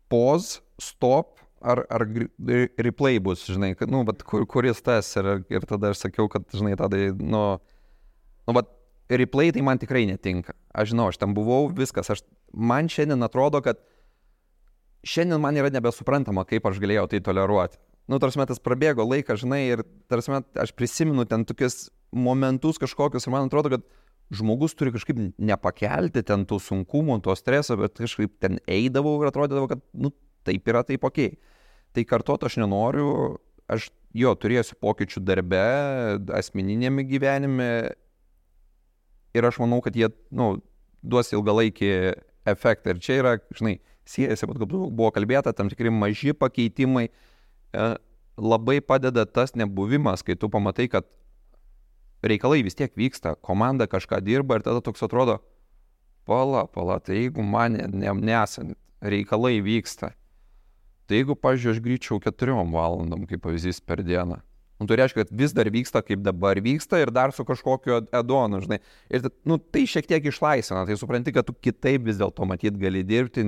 pause, stop, ar replay bus, žinai, kad, nu, bet kuris tas, ir tada aš sakiau, kad, žinai, tada, bet replay tai man tikrai netinka. Aš žinau, aš ten buvau, viskas, man šiandien atrodo, kad šiandien man yra nebesuprantama, kaip aš galėjau tai toleruoti. Nu, tarsi tas prabėgo laikas, žinai, ir tarsi aš prisimenu ten tokius momentus kažkokius, ir man atrodo, kad žmogus turi kažkaip nepakelti ten tų sunkumų, to streso, bet kažkaip ten eidavau ir atrodydavo, kad, nu, taip yra, taip okei. Tai kartuot aš nenoriu, aš turėsiu pokyčių darbe, asmeninėme gyvenime ir aš manau, kad jie, nu, duos ilgalaikį efektą. Ir čia yra, žinai, siejasi, bet buvo kalbėta, tam tikri maži pakeitimai, labai padeda tas nebuvimas, kai tu pamatai, kad reikalai vis tiek vyksta, komanda kažką dirba ir tada toks atrodo, pala, tai jeigu man nesant, reikalai vyksta, tai jeigu, pavyzdžiui, aš grįžčiau 4 valandom, kaip pavyzdys, per dieną, nu, tai reiškia, kad vis dar vyksta, kaip dabar vyksta ir dar su kažkokiu add-onu, žinai, ir nu, tai šiek tiek išlaisvina, tai supranti, kad tu kitaip vis dėlto matyt gali dirbti,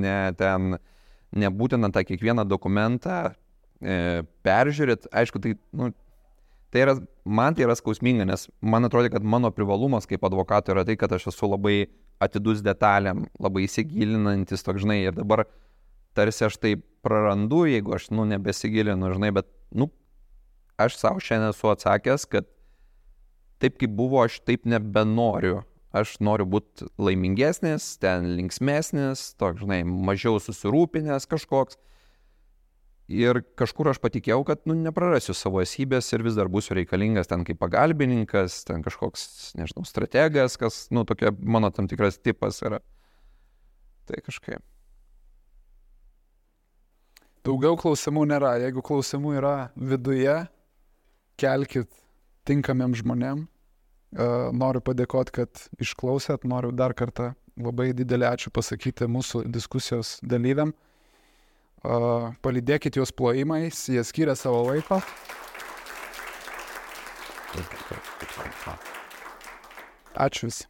nebūtina tą kiekvieną dokumentą peržiūrėt, aišku, tai, nu, man tai yra skausminga, nes man atrodo, kad mano privalumas kaip advokato yra tai, kad aš esu labai atidus detalėm, labai įsigilinantis, toks, žinai, ir dabar tarsi aš tai prarandu, jeigu aš, nu, nebesigilinu, žinai, bet, nu, aš savo šiandien esu atsakęs, kad taip kaip buvo, aš taip nebenoriu. Aš noriu būti laimingesnis, ten linksmesnis, toks, žinai, mažiau susirūpinęs kažkoks. Ir kažkur aš patikėjau, kad, nu, neprarasiu savo esybės ir vis dar būsiu reikalingas ten kaip pagalbininkas, ten kažkoks, nežinau, strategas, kas, nu, tokia mano tam tikras tipas yra. Tai kažkaip. Daugiau klausimų nėra. Jeigu klausimų yra viduje, kelkit tinkamiem žmonėm. Noriu padėkoti, kad išklausėt. Noriu dar kartą labai didelį ačiū pasakyti mūsų diskusijos dalyviam. Palydėkit juos plojimais, jie skiria savo laiko. Ačiū visi.